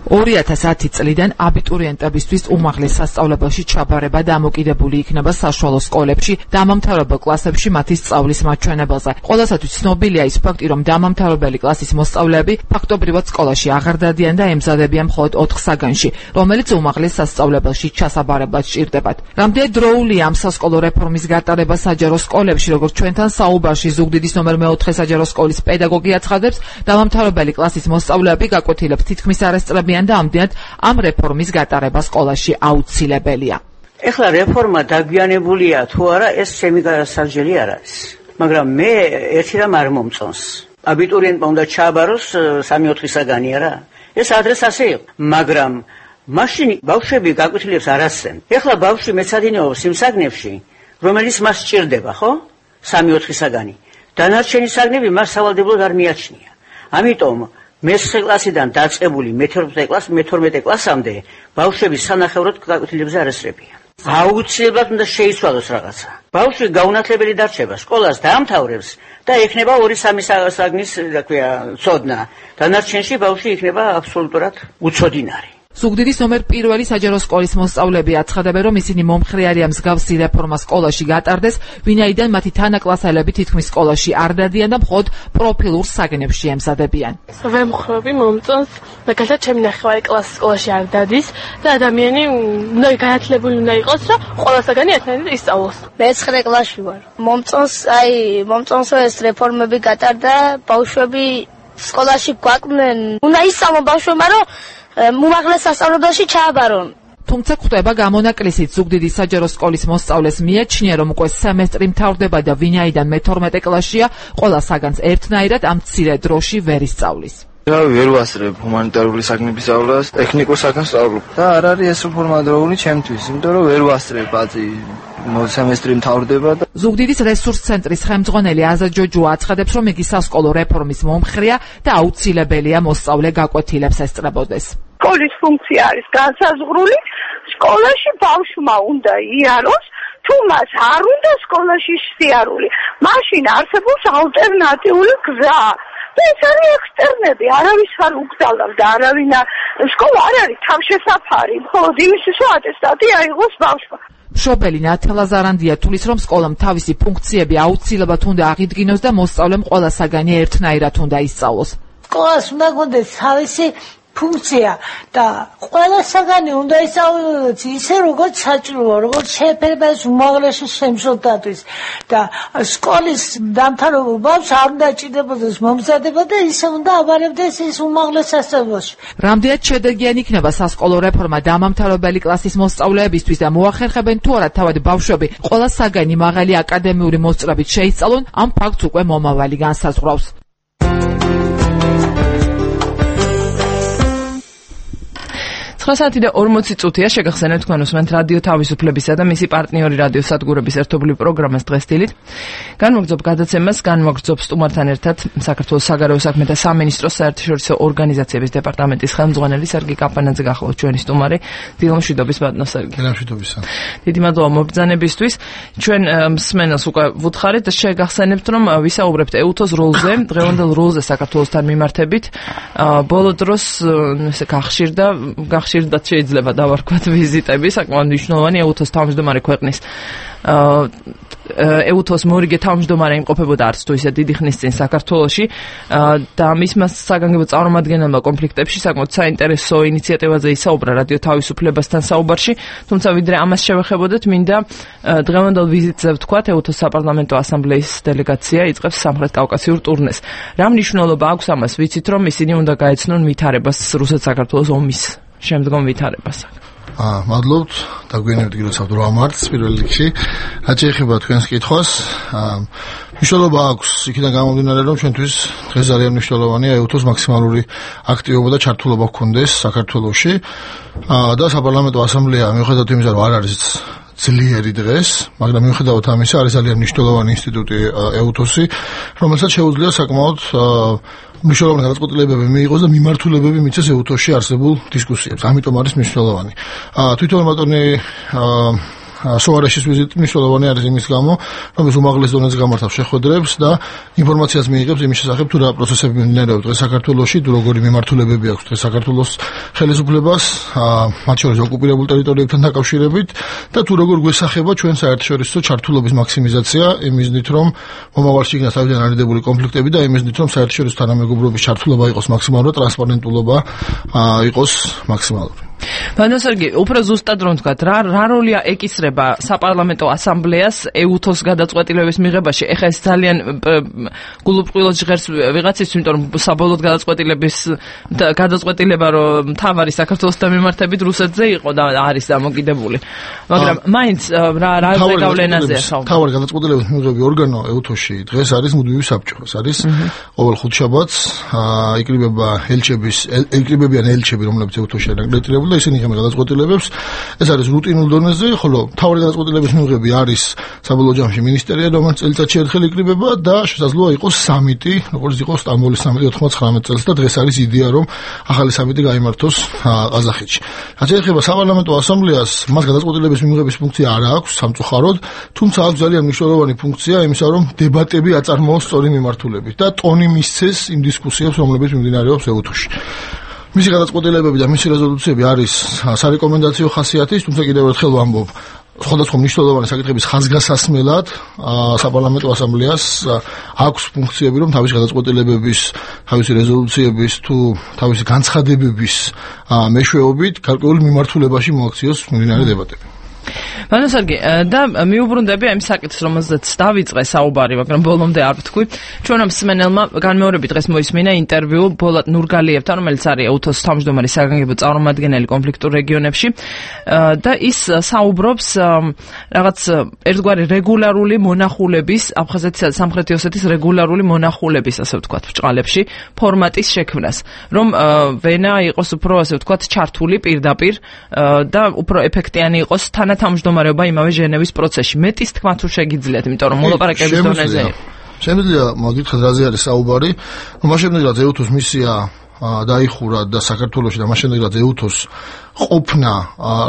2010 წლიდან აბიტურიენტებისთვის უმაღლეს სასწავლებელში ჩაბარება დამოკიდებული იქნება საშუალო სკოლებში დამამთავრებელ კლასებში მათი სწავლის მაჩვენებელზე. ყველასათვის ცნობილია ის ფაქტი, რომ დამამთავრებელი კლასის მოსწავლეები ფაქტობრივად სკოლაში აღარ დადიან და ემზადებიან მხოლოდ 4 საგანში, რომელიც უმაღლეს სასწავლებელში ჩასაბარებლად სჭირდებათ. რამდენი დროულია ამ სასკოლო რეფორმის გატარება საჯარო სკოლებში, როგორც ჩვენთან საუბარში ზუგდიდის ნომერ 4 საჯარო სკოლის პედაგოგი აცხადებს, დამამთავრებელი კლასის მოსწავლეები გაკვეთილებს თითქმის არასწრებიან და ამდენად ამ რეფორმის გატარება სკოლაში აუცილებელია. ეხლა რეფორმა დაგვიანებულია თუ არა, ეს ჩემი გასარჯელი არ არის. მაგრამ მე ერთი რამ არ მომწონს. აბიტურიენტმა უნდა ჩააბაროს 3-4 საგანი არა? ეს ადრეს ასე იყო. მაგრამ მაშინ ბავშვები გაკვეთილებს არ ასწრენ. ეხლა ბავშვი მეცადინეობს იმ საგნებში, რომელიც მას სჭირდება, ხო? 3-4 საგანი. დანარჩენი საგნები მას სავალდებოდ არ მიაჩნია. ამიტომ მე-9 კლასიდან დაწყებული მე-12 კლასამდე ბავშვები სანახევროდ გაკვეთილებზე არ ესწრებიან. აუცილებლად უნდა შეიცვალოს რაღაცა. ბავშვი გაუნათლებელი დარჩება, სკოლას დაამთავრებს და ექნება 2-3 საგნის, რა ქვია, ცოდნა. დანარჩენში ბავშვი იქნება აბსოლუტურად უცოდინარი. ზუგდიდის ნომერ 1 საჯარო სკოლის მოსწავლეები აცხადებენ, რომ ისინი მომხრე არიან მსგავსი რეფორმა სკოლაში გატარდეს, ვინაიდან მათი თანაკლასელები თითქმის სკოლაში არ დადიან და მხოლოდ პროფილურ საგნებში ემზადებიან. ვემხრობი მომწონს, მაგალითად ჩემი ნახევარი კლასის სკოლაში არ დადის და ადამიანი უნდა განათლებული უნდა იყოს, რომ ყველა საგანი ერთნაირად ისწავლოს. მე 9 კლასში ვარ. მომწონს ეს რეფორმები გატარდა, ბავშვები სკოლაში გვაკვდნენ. უნდა ისწავლონ ბავშვებმა, რომ უმაღლეს სასწავლებელში ჩააბარონ. თუმცა ხდება გამონაკლისით ზუგდიდის საჯარო სკოლის მოსწავლეს მიაჩნია, რომ უკვე სემესტრი მთავრდება და ვინაიდან მე-12 კლასშია, ყველა საგანს ერთნაირად ამ მცირე დროში ვერ ისწავლის. ვერ ვასწრებ ჰუმანიტარული საგნების სწავლას, ტექნიკურ საგანს სწავლობ. და არ არის ეს რეფორმა დროული ჩემთვის, იმიტომ რომ ვერ ვასწრებ აწი სემესტრი მთავრდება და ზუგდიდის რესურს ცენტრის ხელმძღვანელი აზა ჯოჯო აცხადებს, რომ იგი სასკოლო რეფორმის მომხრეა და აუცილებელია მოსწავლე გაკვეთილებს ესწრებოდეს. სკოლის ფუნქცია არის განსაზღვრული, სკოლაში ბავშვმა უნდა იაროს, თუ მას არ უნდა სკოლაში სიარული, მაშინ არსებობს ალტერნატიული გზა. და ეს არის ექსტერნები, არავის არ უგზავნავს და არავინ სკოლა არ არის თავშესაფარი, მხოლოდ იმისთვის, რომ ატესტატი აიღოს ბავშვმა. მშობელი ნათელა ზარანდია თulis, რომ სკოლამ თავისი ფუნქციები აუცილებლად უნდა აღიდგინოს და მოსწავლემ ყველა საგანი ერთნაირად უნდა ისწავლოს. სკოლას უნდა გქონდეს თავისი ფუნქცია და ყველა საგანი უნდა ისწავლოს ისე როგორც საჭიროა, როგორც შეფერება უმაღლესი შემსრულებელთვის და სკოლის დამთავრებულს არ უნდა ჭირდებოდეს მომზადება და ისე უნდა აბარებდეს ის უმაღლეს სასწავლებელში. რამდენად შედეგიანი იქნება სასკოლო რეფორმა დამამთავრებელი კლასის მოსწავლეებისთვის და მოახერხებენ თუ არა თავად ბავშვები ყველა საგანი მაღალი აკადემიური მოსწრებით შეისწავლონ, ამ ფაქტს უკვე მომავალი განსაზღვრავს. 9:40 წუთია შეგახსენებთ თქვენ უსმენთ რადიო თავისუფლებისა და მისი პარტნიორი რადიო სადგურების ერთობლივ პროგრამას დღეს დილით. განმოგრძობ გადაცემას, განმოგრძობ სტუმართან ერთად საქართველოს საგარეო საქმეთა სამინისტროს საერთაშორისო ორგანიზაციების დეპარტამენტის ხელმძღვანელი სერგი კაპანაძე გახლავთ ჩვენი სტუმარი. დილომშვიდობის ბატონო სერგი. დილომშვიდობისა. დიდი მადლობა მობრძანებისთვის. ჩვენ მსმენელს უკვე ვუთხარით და შეგახსენებთ რომ ვისაუბრებთ ეუთოს როლზე, დღევანდელ როლზე საქართველოსთან მიმართებით. ბოლო დროს ესე გახშირდათ შეიძლება დავარქვათ ვიზიტები, საკმაოდ მნიშვნელოვანი ეუთოს თავმჯდომარე ქვეყნის ეუთოს მორიგე თავმჯდომარე იმყოფებოდა არც თუ ისე დიდი ხნის წინ საქართველოში და მისმა საგანგებო წარმომადგენელმა კონფლიქტებში საკმაოდ საინტერესო ინიციატივაზე ისაუბრა რადიო თავისუფლებასთან საუბარში, თუმცა ვიდრე ამას შევეხებოდეთ, მინდა დღევანდელ ვიზიტზე ვთქვათ, ეუთოს საპარლამენტო ასამბლეის დელეგაცია იწყებს სამხრეთ კავკასიურ ტურნეს. რა მნიშვნელობა აქვს ამას? ვიცით რომ ისინი უნდა გაეცნონ ვითარებას რუსეთ-საქართველოს ომის შემდგომ ვითარებას. მადლობთ, დაგვიანებთ გილოცავთ 8 მარტს პირველ რიგში. რაც შეეხება თქვენს კითხვას, მნიშვნელობა აქვს იქიდან გამომდინარე, რომ ჩვენთვის დღეს ძალიან მნიშვნელოვანია ეუთოს მაქსიმალური აქტივობა და ჩართულობა გქონდეს საქართველოში და საპარლამენტო ასამბლეა მიუხედავად იმისა, რომ არ არის ძლიერი დღეს, მაგრამ მიუხედავად ამისა არის ძალიან მნიშვნელოვანი ინსტიტუტი ეუთოსი, რომელსაც შეუძლია საკმაოდ მნიშვნელოვანი გადაწყვეტილებები მიიღოს და მიმართულებები მიცეს ეუთოსში არსებულ დისკუსიებს. ამიტომ არის მნიშვნელოვანი. თვითონ ბატონი სოარაშის ვიზიტი მნიშვნელოვანი არის იმის გამო, რომ ეს უმაღლეს დონეზე გამართავს შეხვედრებს და ინფორმაციას მიიღებს იმის შესახებ, თუ რა პროცესები მიმდინარეობს დღეს საქართველოში, თუ როგორი მიმართულებები აქვს დღეს საქართველოს ხელისუფლებას, მათ შორის ოკუპირებულ ტერიტორიებთან დაკავშირებით და თუ როგორ გვესახება ჩვენ საერთაშორისო ჩართულობის მაქსიმიზაცია იმ მიზნით, რომ მომავალში იქნას თავიდან არიდებული კონფლიქტები და იმ მიზნით, რომ საერთაშორისო თანამეგობრობის ჩართულობა იყოს მაქსიმალური, ტრანსპარენტულობა იყოს მაქსიმალური. ბატონო სერგი, უფრო ზუსტად რომ ვთქვათ, რა როლია ეკისრება საპარლამენტო ასამბლეას ეუთოს გადაწყვეტილების მიღებაში? ეხლა ეს ძალიან გულუბრყვილოდ ჟღერს ვიღაცის, იმიტომ რომ საბოლოოდ გადაწყვეტილება რომ მთავარი საქართველოსთან მიმართებით რუსეთზე იყო და არის დამოკიდებული. მაგრამ მაინც რა ზეგავლენაზე ახავ. მთავარი გადაწყვეტილების მიღები ორგანო ეუთოში დღეს არის მუდმივი საბჭო. ეს არის ყოველ ხუთშაბათს იკრიბებიან ელჩები, რომლებიც ეუთოში არიან რეგისტრირებული და ისინი იღებენ გადაწყვეტილებებს. ეს არის რუტინულ დონეზე, ხოლო მთავარი გადაწყვეტილების მიღები არის საბოლოო ჯამში მინისტერია, რომელიც წელიწადში ერთხელ იკრიბება და შესაძლოა იყოს სამიტი, როგორც იყო სტამბოლის სამიტი 99 წელს და დღეს არის იდეა, რომ ახალი სამიტი გაიმართოს ყაზახეთში. რაც შეეხება საპარლამენტო ასამბლეას, მას გადაწყვეტილების მიღების ფუნქცია არ აქვს სამწუხაროდ, თუმცა აქვს ძალიან მნიშვნელოვანი ფუნქცია იმისა, რომ დებატები აწარმოოს სწორი მიმართულებით და ტონი მისცეს იმ დისკუსიებს, რომლებიც მიმდინარეობს ეუთოში. მისი გადაწყვეტილებები და მისი რეზოლუციები არის სარეკომენდაციო ხასიათის, თუმცა კიდევ ერთხელ ვამბობ, სხვადასხვა მნიშვნელოვანი საკითხების ხაზგასასმელად საპარლამენტო ასამბლეას აქვს ფუნქციები, რომ თავისი გადაწყვეტილებების, თავისი რეზოლუციების თუ თავისი განცხადებების მეშვეობით გარკვეული მიმართულებაში მოაქციოს მიმდინარე დებატები. ბატონო სერგი, და მიუბრუნდები ამ საკითხს, რომელზეც დავიწყე საუბარი, მაგრამ ბოლომდე არ ვთქვი. ჩვენმა მსმენელმა განმეორებით დღეს მოისმინა ინტერვიუ ბოლატ ნურგალიევთან, რომელიც არის ეუთოს თავმჯდომარე საგანგებო წარმომადგენელი კონფლიქტურ რეგიონებში და ის საუბრობს რაღაც ერთგვარი რეგულარული მონახულების, აფხაზეთისა და სამხრეთი ოსეთის რეგულარული მონახულების, ასე ვთქვათ, ბრჭყალებში ფორმატის შექმნას, რომ ვენა იყოს უფრო, ასე ვთქვათ, ჩართული პირდაპირ და უფრო ეფექტიანი იყოს თანათავმჯდომარეობა იმავე ჟენევის პროცესში. მეტის თქმა თუ შეგიძლიათ, იმიტომ რომ მოლაპარაკების დონეზე. შემიძლია მოგითხრათ რაზე არის საუბარი, რომ მას შემდეგ რაც ეუთოს მისია დაიხურა და საქართველოში და მას შემდეგ რაც ეუთოს ყოფნა,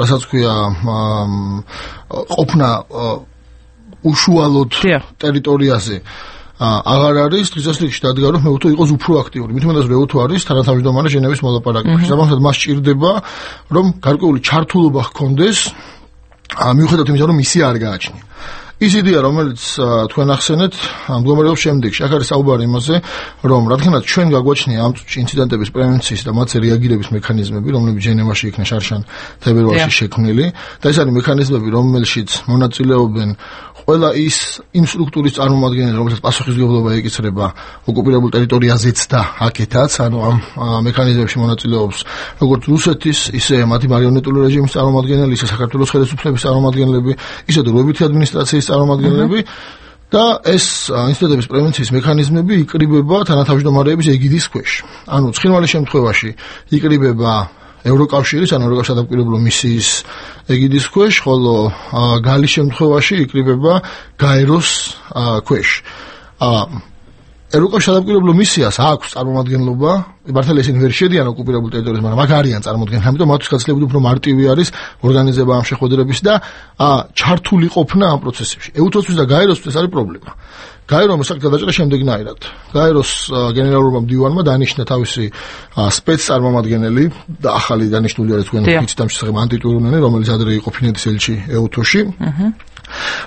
რასაც ქვია, ყოფნა უშუალოდ ტერიტორიაზე აღარ არის, დღესასწაულში დადგა, რომ ეუთო იყოს უფრო აქტიური. მით უმეტეს რომ ეუთო არის თანათავმჯდომარე ჟენევის მოლაპარაკებაში. საბოლოოდ მას სჭირდება, რომ გარკვეული ჩართულობა ჰქონდეს, მიუხედავად იმისა, რომ მისია არ გააჩნია. ის იდეა, რომელიც თქვენ ახსენეთ, მდგომარეობს შემდეგში. აქ არის საუბარი იმაზე, რომ რადგანაც ჩვენ გაგვაჩნია ამ წუთში ინციდენტების პრევენციის და მათზე რეაგირების მექანიზმები, რომლებიც ჟენევაში იქნა შარშან თებერვალში შექმნილი, და ეს არის მექანიზმები, რომელშიც მონაწილეობენ ყველა იმ სტრუქტურის წარმომადგენლები, რომელსაც პასუხისმგებლობა ეკისრება ოკუპირებულ ტერიტორიაზეც და აქეთაც, ანუ ამ მექანიზმებში მონაწილეობს როგორც რუსეთის, ისე მათი მარიონეტული რეჟიმის წარმომადგენლები, ისე საქართველოს ხელისუფლების წარმომადგენლები, ისე დროებითი ადმინისტრაციის წარმომადგენლები და ეს ინციდენტების პრევენციის მექანიზმები იკრიბება თანათავმჯდომარეების ეგიდის ქვეშ. ანუ ცხინვალის შემთხვევაში იკრიბება ევროკავშირის, ანუ ევროკავშირის ადაპტირებულო მისიის ეგიდის ქვეშ, ხოლო გალის შემთხვევაში იკრიბება გაეროს ქვეშ. ევროკავშირის ადაპტირებულო მისიას აქვს წარმომადგენლობა, მართალია ისინი ვერ შედიან ოკუპირებულ ტერიტორიაზე, მაგრამ აქ არიან წარმოადგენლები, ამიტომ მათთვის გაცილებით უფრო მარტივი არის ორგანიზება ამ შეხვედრების და ჩართული ყოფნა ამ პროცესებში. ეუთოსთვის და გაეროსთვის არის პრობლემა. გაერომ ეს გადაჭრა შემდეგნაირად. გაეროს გენერალურმა მდივანმა დანიშნა თავისი სპეცწარმომადგენელი და ახალი დანიშნული არის თქვენ ვიცით ამ შესახებ ანტიტურუნენი, რომელიც ადრე იყო ფინეთის ელჩი ეუთოში,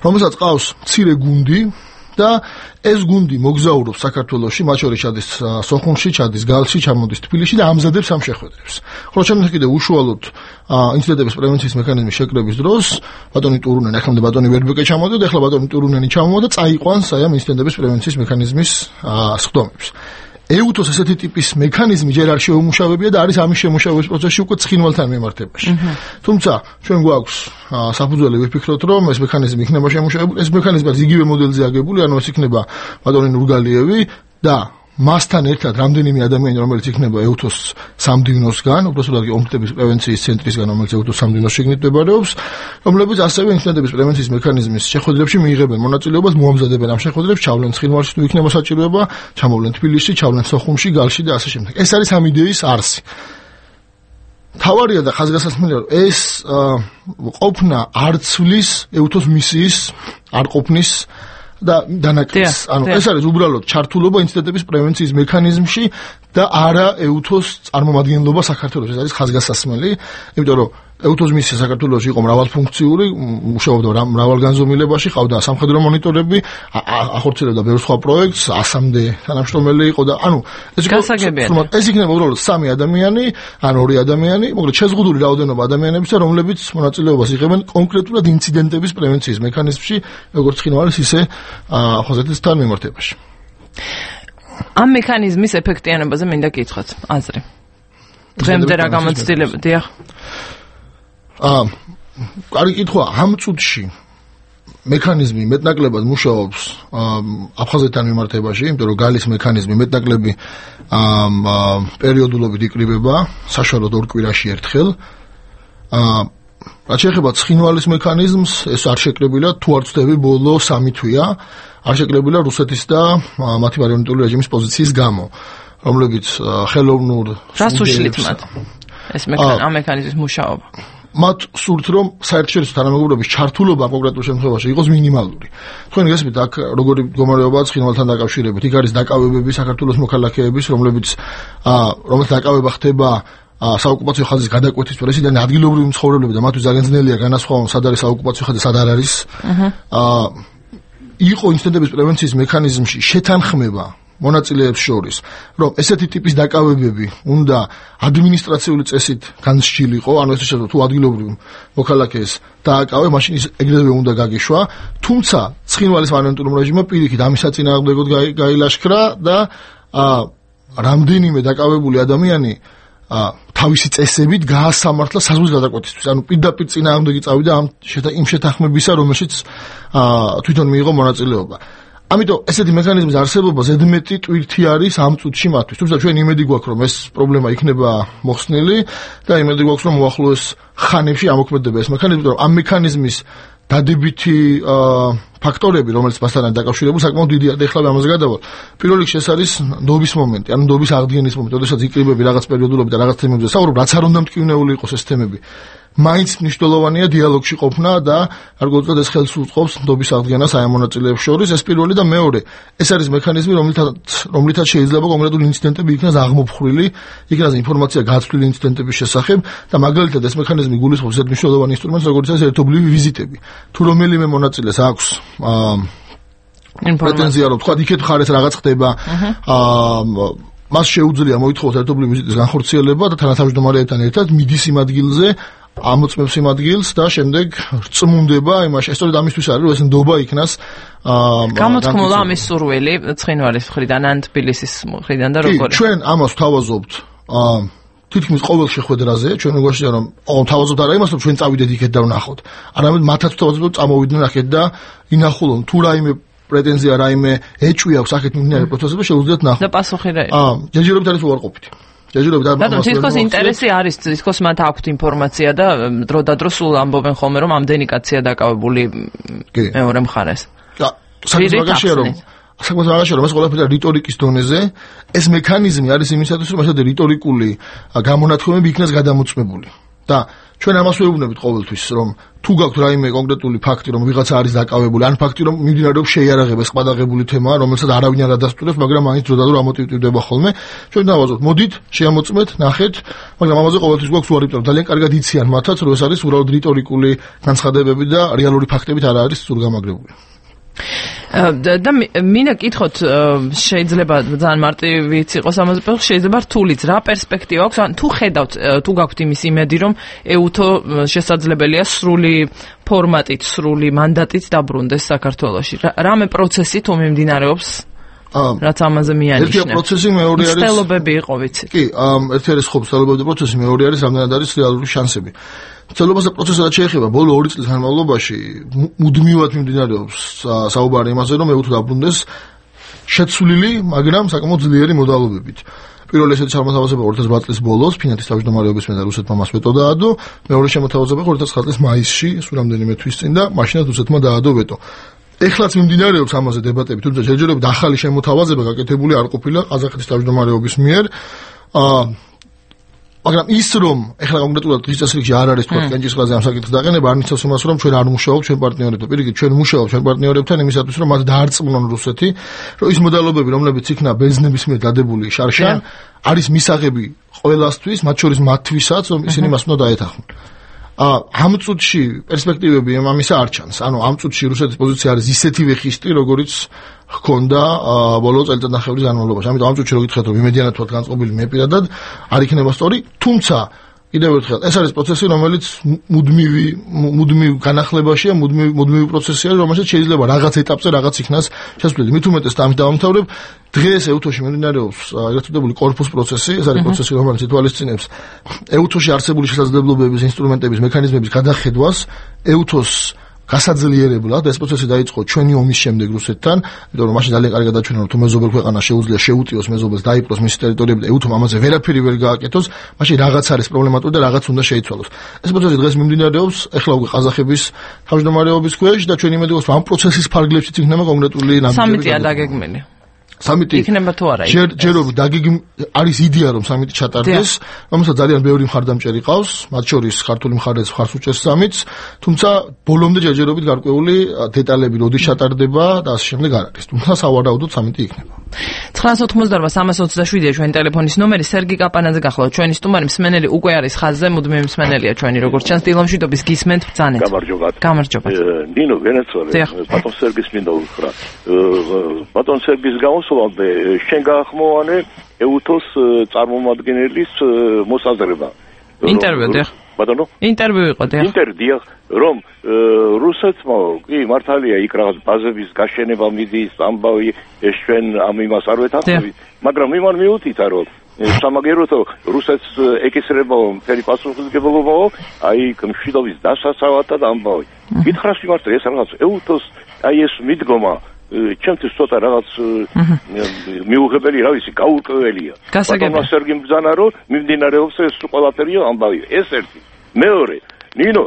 რომელსაც ყავს მცირე გუნდი და ეს გუნდი მოგზაურობს საქართველოში, მათ შორის ჩადის სოხუმში, ჩადის გალში, ჩამოდის თბილისში და ამზადებს ამ შეხვედრებს. ხოლო ჩვენ კიდევ უშუალოდ ინციდენტების პრევენციის მექანიზმის შეკრების დროს ბატონი ტურუნენი, ახლა ბატონი ვერბეკე ჩამოვიდა, ახლა ბატონი ტურუნენი ჩამოვიდა და წაიყვანს აი ამ ინციდენტების პრევენციის მექანიზმის სხდომებს. ეუთოს ესეთი ტიპის მექანიზმი ჯერ არ შეუმუშავებია და არის ამის შემუშავების პროცესში უკვე ცხინვალთან მიმართებაში. თუმცა ჩვენ გვაქვს საფუძველი ვიფიქროთ, რომ ეს მექანიზმი იქნება შემუშავებული, ეს მექანიზმი იგივე მოდელზე აგებული, ანუ ეს იქნება ბატონი ნურგალიევი და მასთან ერთად რამდენიმე ადამიანი, რომელიც იქნება ეუთოს სამდივნოსგან, უბრალოდ კონფლიქტების პრევენციის ცენტრისგან, რომელიც ეუთოს სამდივნოს შიგნით მდებარეობს, რომლებიც ასევე ინციდენტების პრევენციის მექანიზმის შეხვედრებში მიიღებენ მონაწილეობას, მოამზადებენ ამ შეხვედრებს, ჩავლენ ცხინვალში თუ იქნება საჭიროება, ჩამოვლენ თბილისში, ჩავლენ სოხუმში, გალში და ასე შემდეგ. ეს არის ამ იდეის არსი. თავარია და ხაზგასასმელია, რომ ეს ყოფნა არ ცვლის ეუთოს მისიის არ ყოფნის და დანაკლისს. ანუ ეს არის უბრალოდ ჩართულობა ინციდენტების პრევენციის მექანიზმში და არა ეუთოს წარმომადგენლობა საქართველოს. ეს არის ხაზგასასმელი, იმიტომ რომ ეუთოს მისია საქართველოში იყო მრავალფუნქციური, მუშაობდა მრავალგანზომილებაში, ყავდა სამხედრო მონიტორები, ახორციელებდა ბევრ სხვა პროექტს, 100-მდე თანამშრომელი იყო და ანუ ეს იქნება უბრალოდ 3 ადამიანი, ან 2 ადამიანი, მოკლედ შეზღუდული რაოდენობა ადამიანებისა, რომლებიც მონაწილეობას იღებენ კონკრეტულად ინციდენტების პრევენციის მექანიზმში, როგორც ცხინვალის, ისე ახალგაზრდების თანამიმართებაში. ამ მექანიზმის ეფექტიანობაზე მინდა გითხრათ აზრი. დღემდე რა გამოცდილება, დიახ. კარგი კითხვა, ამ წუთში მექანიზმი მეტნაკლებად მუშაობს აფხაზეთთან მიმართებაში, იმიტომ რომ გალის მექანიზმი მეტნაკლები პერიოდულობით იკრიბება, საშუალოდ 2 კვირაში ერთხელ. რაც შეეხება ცხინვალის მექანიზმს, ეს არ შეკრებილა, თუ არ ვცდები, ბოლო 3 თვეა, არ შეკრებილა რუსეთის და მათი მარიონეტული რეჟიმის პოზიციის გამო, რომლებიც ხელოვნურ რას უშლით მათ? ეს მექანიზმის მუშაობა. მათ სურთ, რომ საერთაშორისო თანამეგობრობის ჩართულობა კონკრეტულ შემთხვევაში იყოს მინიმალური. თქვენ გესმით, აქ როგორი მდგომარეობაა ცხინვალთან დაკავშირებით, იქ არის დაკავებები საქართველოს მოქალაქეების, რომლებიც დაკავება ხდება საოკუპაციო ხაზის გადაკვეთის დროს, ისინი ადგილობრივი მცხოვრებლები და მათთვის ძალიან ძნელია განასხვავონ, სად არის საოკუპაციო ხაზი, სად არ არის. იყო ინციდენტების პრევენციის მექანიზმში შეთანხმება მონაწილეებს შორის, რომ ესეთი ტიპის დაკავებები უნდა ადმინისტრაციული წესით განსჯილიყო, ანუ ეს შეიძლება თუ ადგილობრივ მოქალაქეს დააკავე, მაშინ ის ეგრევე უნდა გაგიშვა, თუმცა ცხინვალის მარიონეტულ რეჟიმმა პირიქით ამის საწინააღმდეგოდ გაილაშქრა და რამდენიმე დაკავებული ადამიანი თავისი წესებით გაასამართლა საზღვრის გადაკვეთისთვის. ანუ პირდაპირ წინააღმდეგი წავიდა იმ შეთანხმებისა, რომელშიც თვითონ მიიღო მონაწილეობა. ამიტომ ესეთი მექანიზმის არსებობა ზედმეტი ტვირთი არის ამ წუთში მათთვის. თუმცა ჩვენ იმედი გვაქვს, რომ ეს პრობლემა იქნება მოხსნილი და იმედი გვაქვს, რომ მოახლოეს ხანებში ამოქმედდება ეს მექანიზმი, რომ ამ მექანიზმის დადებითი ფაქტორები, რომელიც მასთან დაკავშირებული, საკმაოდ დიდია და ეხლა ამაზე გადავალ. პირველ რიგში ეს არის ნდობის მომენტი, ანუ ნდობის აღდგენის მომენტი, როდესაც იკრიბები რაღაც პერიოდულობით და რაღაც თემებზე საუბრობ, რაც არ უნდა მტკივნეული იყოს ეს თემები. მაინც მნიშვნელოვანია დიალოგში ყოფნა და არ გულწრფელად ეს ხელს უწყობს ნდობის აღდგენას აი ამ მონაწილეებს შორის. ეს პირველი და მეორე, ეს არის მექანიზმი, რომლითაც შეიძლება კონკრეტული ინციდენტები იქნას აღმოფხვრილი, იქნას ინფორმაცია გაცვლილი ინციდენტების შესახებ და მაგალითად ეს მექანიზმი გულისხმობს ისეთ მნიშვნელოვან ინსტრუმენტს, როგორც არის ერთობლივი ვიზიტები. თუ რომელიმე მონაწილეს აქვს პრეტენზია, რომ თქვა იქეთ ხარეს რაღაც ხდება, მას შეუძლია მოითხოვოს ერთობლივი ვიზიტის განხორციელება და თანათავმჯდომარეებთან ერთად მიდის იმ ადგილზე, ამოწმებს იმ ადგილს და შემდეგ წმუნდება იმაში. სწორედ ამისთვის არის, რომ ეს ნდობა იქნას გამოთქმულა ამის სურვილი ცხინვალის მხრიდან ან თბილისის მხრიდან და როგორ. ჩვენ ამას ვთავაზობთ თითქმის ყოველ შეხვედრაზე, ჩვენ მეგობრებია რომ თავაზობთ არა იმას, რომ ჩვენ წავიდეთ იქეთ და ვნახოთ. არამედ მათაც ვთავაზობთ, რომ წამოვიდნენ აქეთ და ინახულონ თუ რაიმე პრეტენზია რაიმე ეჭვი აქვს აქეთ მიმდინარე პროცესებში შეუძლიათ ნახოთ. და პასუხი რა? ჯერჯერობით არის უარყოფითი. რატომ თითქოს ინტერესი არის, თითქოს მათ აქვთ ინფორმაცია და დრო და დრო სულ ამბობენ ხოლმე რომ ამდენი კაცია დაკავებული მეორე მხარეს. და საქმე რომ ეს ყველაფერი რიტორიკის დონეზე, ეს მექანიზმი არის იმისათვის, რომ ასეთი რიტორიკული გამონათქვამები იქნას გადამოწმებული. და ჩვენ ამას ვეუბნებით ყოველთვის, რომ თუ გაქვთ რაიმე კონკრეტული ფაქტი, რომ ვიღაცა არის დაკავებული, ან ფაქტი, რომ მიმდინარეობს შეიარაღება, ეს ყადაღებული თემაა, რომელსაც არავინ არ ადასტურებს, მაგრამ მაინც დრო და დრო ამოტივტივდება ხოლმე. ჩვენ დავაზობთ, მოდით, შეამოწმეთ, ნახეთ, მაგრამ ამაზე ყოველთვის გვაქვს უარი, რომ ძალიან კარგად იციან მათაც, რომ ეს არის უბრალოდ რიტორიკული განცხადებები და რეალური ფაქტებით არ არის ზურგამაგრებული. და მინდა კითხოთ, შეიძლება ძალიან მარტივიც იყოს ამაზე, შეიძლება რთულიც, რა პერსპექტივა აქვს, ან თუ ხედავთ, თუ გაქვთ იმის იმედი, რომ EUTO შესაძლებელია სრული ფორმატით, სრული მანდატით დაბრუნდეს საქართველოში. რამე პროცესი თუ მიმდინარეობს, რაც ამაზე მიანიშნებს. ერთი პროცესი, მეორე არის მცდელობები იყო, ვიცი. კი, ერთი არის ხო მცდელობები და პროცესი, მეორე არის რამდენად არის რეალური შანსები. მცდელობასა პროცესად შეეხება ბოლო 2 წლის განმავლობაში მუდმივად მიმდინარეობს საუბარი იმაზე, რომ EUTO დაბრუნდეს შეცვლილი, მაგრამ საკმაოდ ძლიერი მოდალობებით. პირველი ესეთი შემოთავაზება 2008 წლის ბოლოს ფინეთის თავმჯდომარეობის მხრიდან რუსეთმა მას ვეტო დაადო, მეორე შემოთავაზება 2009 წლის მაისში, სულ რამდენიმე თვის წინ და მაშინაც რუსეთმა დაადო ვეტო. ეხლაც მიმდინარეობს ამაზე დებატები, თუმცა ჯერჯერობით ახალი შემოთავაზება გაკეთებული არ ყოფილა ყაზახეთის თავმჯდომარეობის მიერ. მაგრამ ის რომ ეხლა კონკრეტულად დღის წესრიგში არ არის თქვა კენჭისყრაზე ამ საკითხის დაყენება, არ ნიშნავს იმას, რომ ჩვენ არ მუშაობთ ჩვენ პარტნიორებთან. პირიქით, ჩვენ მუშაობთ ჩვენ პარტნიორებთან იმისათვის, რომ მათ დაარწმუნონ რუსეთი, რომ ის მოდალობები, რომლებიც იქნა ბერძნების მიერ დადებული შარშან, არის მისაღები ყველასთვის, მათ შორის მათთვისაც, რომ ისინი მას უნდა დაეთანხმონ. ამ წუთში პერსპექტივები ამისა არ ჩანს. ანუ ამ წუთში რუსეთის პოზიცია არის ისეთივე ხისტი, როგორიც ჰქონდა ბოლო წელიწადნახევრის განმავლობაში. ამიტომ ამ წუთში რო გითხეთ, რომ იმედიანად ვართ განწყობილი, მე პირადად არ იქნება სწორი, თუმცა კიდევ ერთხელ ეს არის პროცესი, რომელიც მუდმივ განახლებაშია, მუდმივი პროცესია, რომელსაც შეიძლება რაღაც ეტაპზე რაღაც იქნას შესწავლილი. მით უმეტეს და ამით დავამთავრებ, დღეს EUTO-ში მიმდინარეობს ერთადერთი კორპუს პროცესი, ეს არის პროცესი, რომელიც ითვალისწინებს EUTO-ში არსებული შესაძლებლობების, ინსტრუმენტების, მექანიზმების გადახედვას, EUTO-ს გასაძლიერებლად ეს პროცესი დაიწყო ჩვენი ომის შემდეგ რუსეთთან, იმიტომ რომ მაშინ ძალიან კარგად დაჩვენა, რომ თუ მეზობელ ქვეყანას შეუძლია შეუტიოს მეზობელს დაიპყროს მისი ტერიტორიები და EUTO-მ ამაზე ვერაფერი ვერ გააკეთოს, მაშინ რაღაც არის პრობლემატური და რაღაც უნდა შეიცვალოს. ეს პროცესი დღეს მიმდინარეობს, ეხლა უკვე ყაზახების თავმჯდომარეობის ქვეშ და ჩვენ იმედი გვაქვს, რომ ამ პროცესის ფარგლებშიც იქნება კონკრეტული ნაბიჯები. სამიტია დაგეგმილი. სამიტი იქნება თუ არა? ჯერჯერობით არის იდეა, რომ სამიტი ჩატარდეს, რომელსაც ძალიან ბევრი მხარდამჭერი ყავს, მათ შორის ქართული მხარეც მხარს უჭერს სამიტს, თუმცა ბოლომდე ჯერჯერობით გარკვეული დეტალები როდის ჩატარდება და ასე შემდეგ არ არის. თუმცა სავარაუდოდ სამიტი იქნება. 988-327-ია ჩვენი ტელეფონის ნომერი. სერგი კაპანაძე გახლავთ ჩვენი სტუმარი, მსმენელი უკვე არის ხაზზე, მუდმივი მსმენელია ჩვენი, როგორც ჩანს, დილამშვიდობის გისმენთ ბრძანეთ. გამარჯობა. ნინო ვენეცუელა, ბატონ სერგის მინდა უთხრა. ბატონ სერგის გამოსვლამდე შენ გაახმოვანე EUTO-s წარმომადგენლის მოსაზრება. ინტერვიუ დიახ. ბატონო? ინტერვიუ იყო დიახ. ინტერვიუ რომ რუსეთმა კი მართალია იქ რაღაც ბაზების გაშენება მიდის, ამბავი ეს ჩვენ ამ იმას არ ვეთანხმებით, მაგრამ იმან მიუთითა რომ სამაგეროთო რუსეთს ეკისრება მთელი პასუხისმგებლობა, აი მშვიდობის დასაცავად და ამბავი. გითხრას მიმართე ეს რაღაც EUTO-s აი ეს მიდგომა ჩემთვის ცოტა რაღაც მიუღებელი რა ვიცი, გაურკვეველია. ბატონო სერგიმ ბრძანა რომ მიმდინარეობს ეს ყველაფერია ამბავი. ეს ერთი. მეორე, ნინო,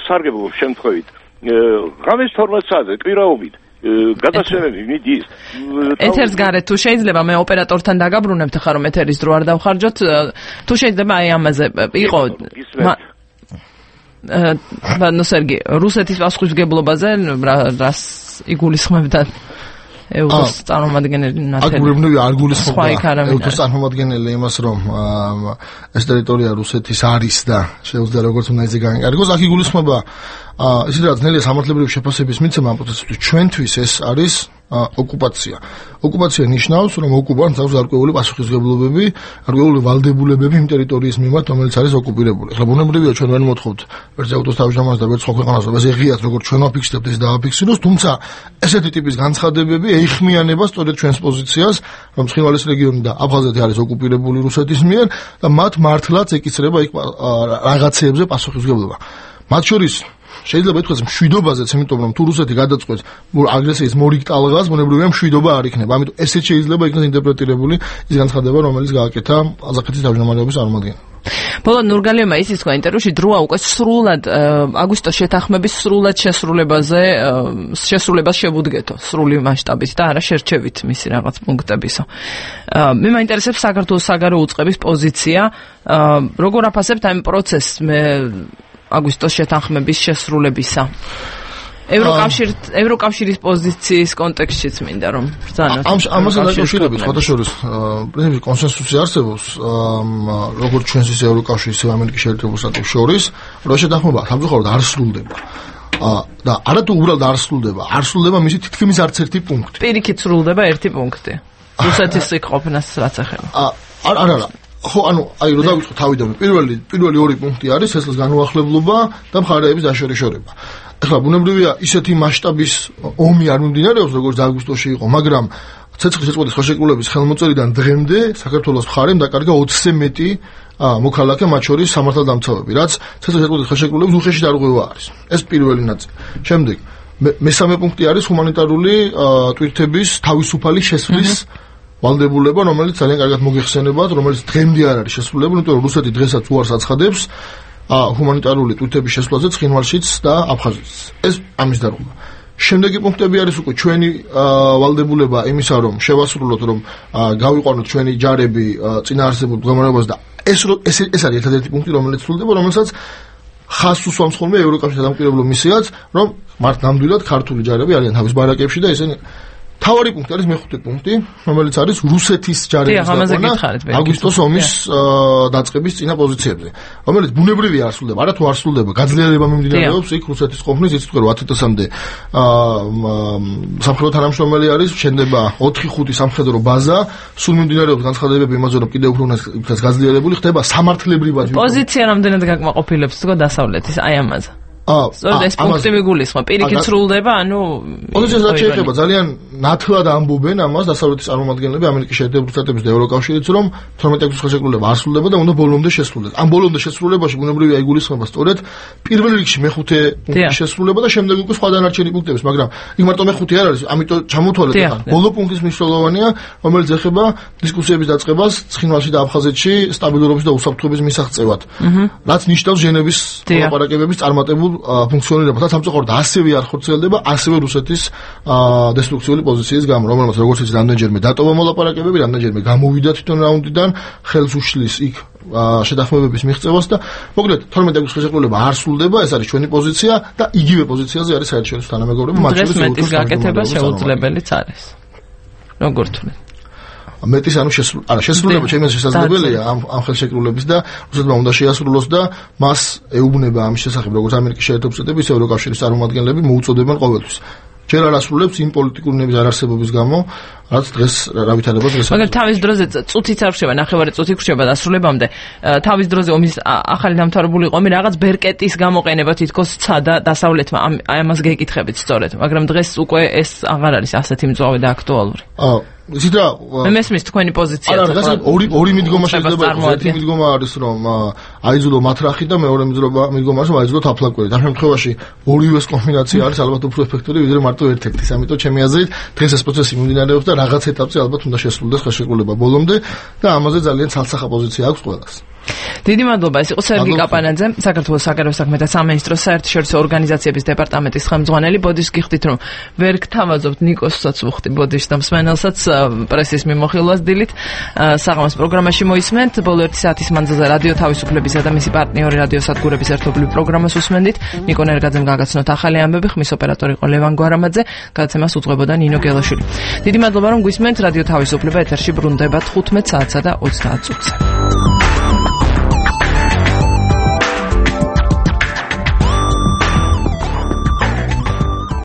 სარგებლო შემთხვევით, ღამის 12 საათზე კვირაობით გადასვენები მიდის. ეთერს გარეთ თუ შეიძლება მე ოპერატორთან დაგაბრუნებთ ხა რომ ეთერის დრო არ დავხარჯოთ, თუ შეიძლება აი ამაზე იყო ნუ სერგი, რუსეთის პასუხისმგებლობაზე რას იგულისხმებდა ეუთოს წარმომადგენელი ნათელი? აგურებნები არ გულისხმობდა ეუთოს წარმომადგენელი იმას, რომ ეს ტერიტორია რუსეთის არის და შეუძლია როგორც უნდა ისე განეკარგოს. აქ იგულისხმება ისე რა ძნელია სამართლებრივი შეფასების მიცემა ამ პროცესისთვის. ჩვენთვის ეს არის ოკუპაცია. ოკუპაცია ნიშნავს, რომ ოკუპანტს აქვს გარკვეული პასუხისმგებლობები, გარკვეული ვალდებულებები იმ ტერიტორიის მიმართ, რომელიც არის ოკუპირებული. ახლა ბუნებრივია ჩვენ ვერ მოთხოვთ ვერც ეუთოს თავმჯდომარეს და ვერც სხვა ქვეყანას, რომ ეს ეღიათ როგორც ჩვენ ვაფიქსირებთ ეს დააფიქსიროს, თუმცა ესეთი ტიპის განცხადებები ეიხმიანება სწორედ ჩვენს პოზიციას, რომ ცხინვალის რეგიონი და აფხაზეთი არის ოკუპირებული რუსეთის მიერ და მათ მართლაც ეკისრება იქ რაღაცეებზე პასუხისმგებლობა. მათ შორის შეიძლება ითქვას მშვიდობაზეც, იმიტომ რომ თუ რუსეთი გადაწყვეტს აგრესიის მორიგ ტალღას, ბუნებრივია მშვიდობა არ იქნება. ამიტომ ესეც შეიძლება იქნას ინტერპრეტირებული ის განცხადება, რომელიც გააკეთა ყაზახეთის თავმჯდომარეობის წარმომადგენელმა. ბოლო ნურგალიევმა ისიც თქვა ინტერვიუში, დროა უკვე სრულად აგვისტოს შეთანხმების სრულად შესრულებას შევუდგეთო სრული მასშტაბით და არა შერჩევით მისი რაღაც პუნქტებისო. მე მაინტერესებს საქართველოს საგარეო უწყების პოზიცია, როგორ აფასებთ ამ პროცესს აგვისტოს შეთანხმების შესრულებისა. ევროკავშირის პოზიციის კონტექსტშიც მინდა რომ ბრძანოთ. ამასთან დაკავშირებით ხოთაშორის პრინციპი კონსენსუსი არსებობს, როგორც ჩვენს ისე ევროკავშირის ისე ამერიკის შეერთებულ შტატებს შორის, რომ შეთანხმება სამწუხაროდ არ სრულდება. და არათუ უბრალოდ არ სრულდება მისი თითქმის არც ერთი პუნქტი. პირიქით სრულდება ერთი პუნქტი. რუსეთის იქ ყოფნას რაც ეხება. არა. ხო, აი რომ დავიწყო თავიდან, პირველი ორი პუნქტი არის სესლის განუახლებლობა და მხარეების დაშორიშორება. ახლა ბუნებრივია ისეთი მასშტაბის ომი არ მიმდინარეობს, როგორც აგვისტოში იყო, მაგრამ ცეცხლის შეწყვეტის ხელშეკრულების ხელმოწერიდან დღემდე საქართველოს მხარემ დაკარგა 20-ზე მეტი მოქალაქე, მათ შორის სამართალდამცავები, რაც ცეცხლის შეწყვეტის ხელშეკრულების უხეში დარღვევა არის. ეს პირველი ნაწილი. შემდეგ მესამე პუნქტი არის ჰუმანიტარული ტვირთების თავისუფალი შესვლის ვალდებულება, რომელიც ძალიან კარგად მოგეხსენებათ, რომელიც დღემდე არ არის შესრულებული, იმიტომ რომ რუსეთი დღესაც უარს აცხადებს ჰუმანიტარული ტვირთების შესვლაზე ცხინვალშიც და აფხაზეთშიც. ეს ამის დარღვევა. შემდეგი პუნქტები არის უკვე ჩვენი ვალდებულება იმისა, რომ შევასრულოთ, რომ გავიყვანოთ ჩვენი ჯარები წინაარსებულ მდგომარეობას და ეს არის ერთადერთი პუნქტი, რომელიც სრულდება, რომელსაც ხაზს უსვამს ხოლმე ევროკავშირის დამკვირვებლო მისიაც, რომ მართ ნამდვილად ქართული ჯარები არიან თავის ბარაკებში და ესენი თავარი პუნქტი არის მეხუთე პუნქტი, რომელიც არის რუსეთის ჯარების გაყვანა აგვისტოს ომის დაწყების წინა პოზიციებზე, რომელიც ბუნებრივია არ სრულდება, არათუ არ სრულდება, გაძლიერება მიმდინარეობს იქ რუსეთის ყოფნის, იცით რომ 10 თვეამდე სამხედრო თანამშრომელი არის, შენდება 4-5 სამხედრო ბაზა, სულ მიმდინარეობს განცხადებები იმაზე, რომ კიდევ უფრო უნდა გაძლიერებული ხდება სამართლებრივად. პოზიცია რამდენად გაკმაყოფილებს თქო დასავლეთის აი ამაზე. სწორედ ეს პუნქტი მიგულისხმება, პირიქით სრულდება, პოზიციას რაც შეეხება ძალიან ნათლად ამბობენ ამას დასავლეთის წარმომადგენლები ამერიკის შეერთებულ შტატების და ევროკავშირიც, რომ 12 აგვისტოს ხელშეკრულება არ სრულდება და უნდა ბოლომდე შესრულდეს. ამ ბოლომდე შესრულებაში ბუნებრივია იგულისხმება სწორედ პირველ რიგში მეხუთე პუნქტის შესრულება და შემდეგ უკვე სხვა დანარჩენი პუნქტების, მაგრამ იქ მარტო მეხუთე არ არის, ამიტომ ჩამოთვალეთ ახლა. ბოლო პუნქტის მნიშვნელოვანია, რომელიც ეხება დისკუსიების დაწყებას ცხინვალში და აფხაზეთში სტაბილურობის და უსაფრთხოების მისაღწევად, რაც ნიშნავს ჟენევის ლაპარაკებების წარმატებულ ფუნქციონირება და სამწუხაროდ ასევე არ ხორციელდება ასევე რუსეთის დესტრუქციული პოზიციის გამო, რომელმაც როგორც იცით რამდენჯერმე დატოვა მოლაპარაკებები, რამდენჯერმე გამოვიდა თვითონ რაუნდიდან, ხელს უშლის იქ შეთანხმებების მიღწევას და მოკლედ 12 აგვისტოს ხელშეკრულება არ სრულდება, ეს არის ჩვენი პოზიცია და იგივე პოზიციაზე არის საერთაშორისო თანამეგობრები, მათ შორის მეტის გაკეთება შეუძლებელიც არის. როგორ თვლით? მეტის შესრულება ჩემთვის შესაძლებელია ამ ხელშეკრულების და რუსეთმა უნდა შეასრულოს და მას ეუბნება ამის შესახებ როგორც ამერიკის შეერთებულ შტატები, ისე ევროკავშირის წარმომადგენლები მოუწოდებენ ყოველთვის. ჯერ არ ასრულებს იმ პოლიტიკური ნების არარსებობის გამო, რაც დღეს რა ვითარდება დღეს. მაგრამ თავის დროზე წუთიც არ ხდება, ნახევარი წუთი ხდება დასრულებამდე. თავის დროზე ომის ახალი დამთავრებული ომი რაღაც ბერკეტის გამოყენება თითქოს ცადა დასავლეთმა ამას გეკითხებით სწორედ, მაგრამ დღეს უკვე ეს აღარ არის ასეთი მწვავე და აქტუალური. ისიც რა მესმის თქვენი პოზიცია. არა, ორი მიდგომა შეიძლება იყოს. ერთი მიდგომა არის რომ აიძულო მათრახი და მეორე მიდგომა არის რომ აიძულო თაფლაკვერი. ამ შემთხვევაში ორივეს კომბინაცია არის ალბათ უფრო ეფექტური ვიდრე მარტო ერთ-ერთის. ამიტომ ჩემი აზრით დღეს ეს პროცესი მიმდინარეობს და რაღაც ეტაპზე ალბათ უნდა შესრულდეს ხელშეკრულება ბოლომდე და ამაზე ძალიან ცალსახა პოზიცია აქვს ყველას. დიდი მადლობა, ეს იყო სერგი კაპანაძე, საქართველოს საგარეო საქმეთა სამინისტროს საერთაშორისო ორგანიზაციების დეპარტამენტის ხელმძღვანელი. ბოდიშს გიხდით რომ ვერ გთავაზობთ ნიკოსაც უხდი ბოდიშს და მსმენელსაც პრესის მიმოხილვას დილით საღამოს პროგრამაში მოისმენთ. ბოლო 1 საათის მანძილზე რადიო თავისუფლების თავისუფლებისა და მისი პარტნიორი რადიოსადგურების ერთობლივი პროგრამას უსმენდით. ნიკო ნერგაძემ გაგაცნოთ ახალი ამბები, ხმის ოპერატორი იყო ლევან გვარამაძე, გადაცემას უძღვებოდა ნინო გელაშვილი. დიდი მადლობა რომ გვისმენთ. რადიო თავისუფლება ეთერში ბრუნდება 15 საათსა და 30 წუთზე.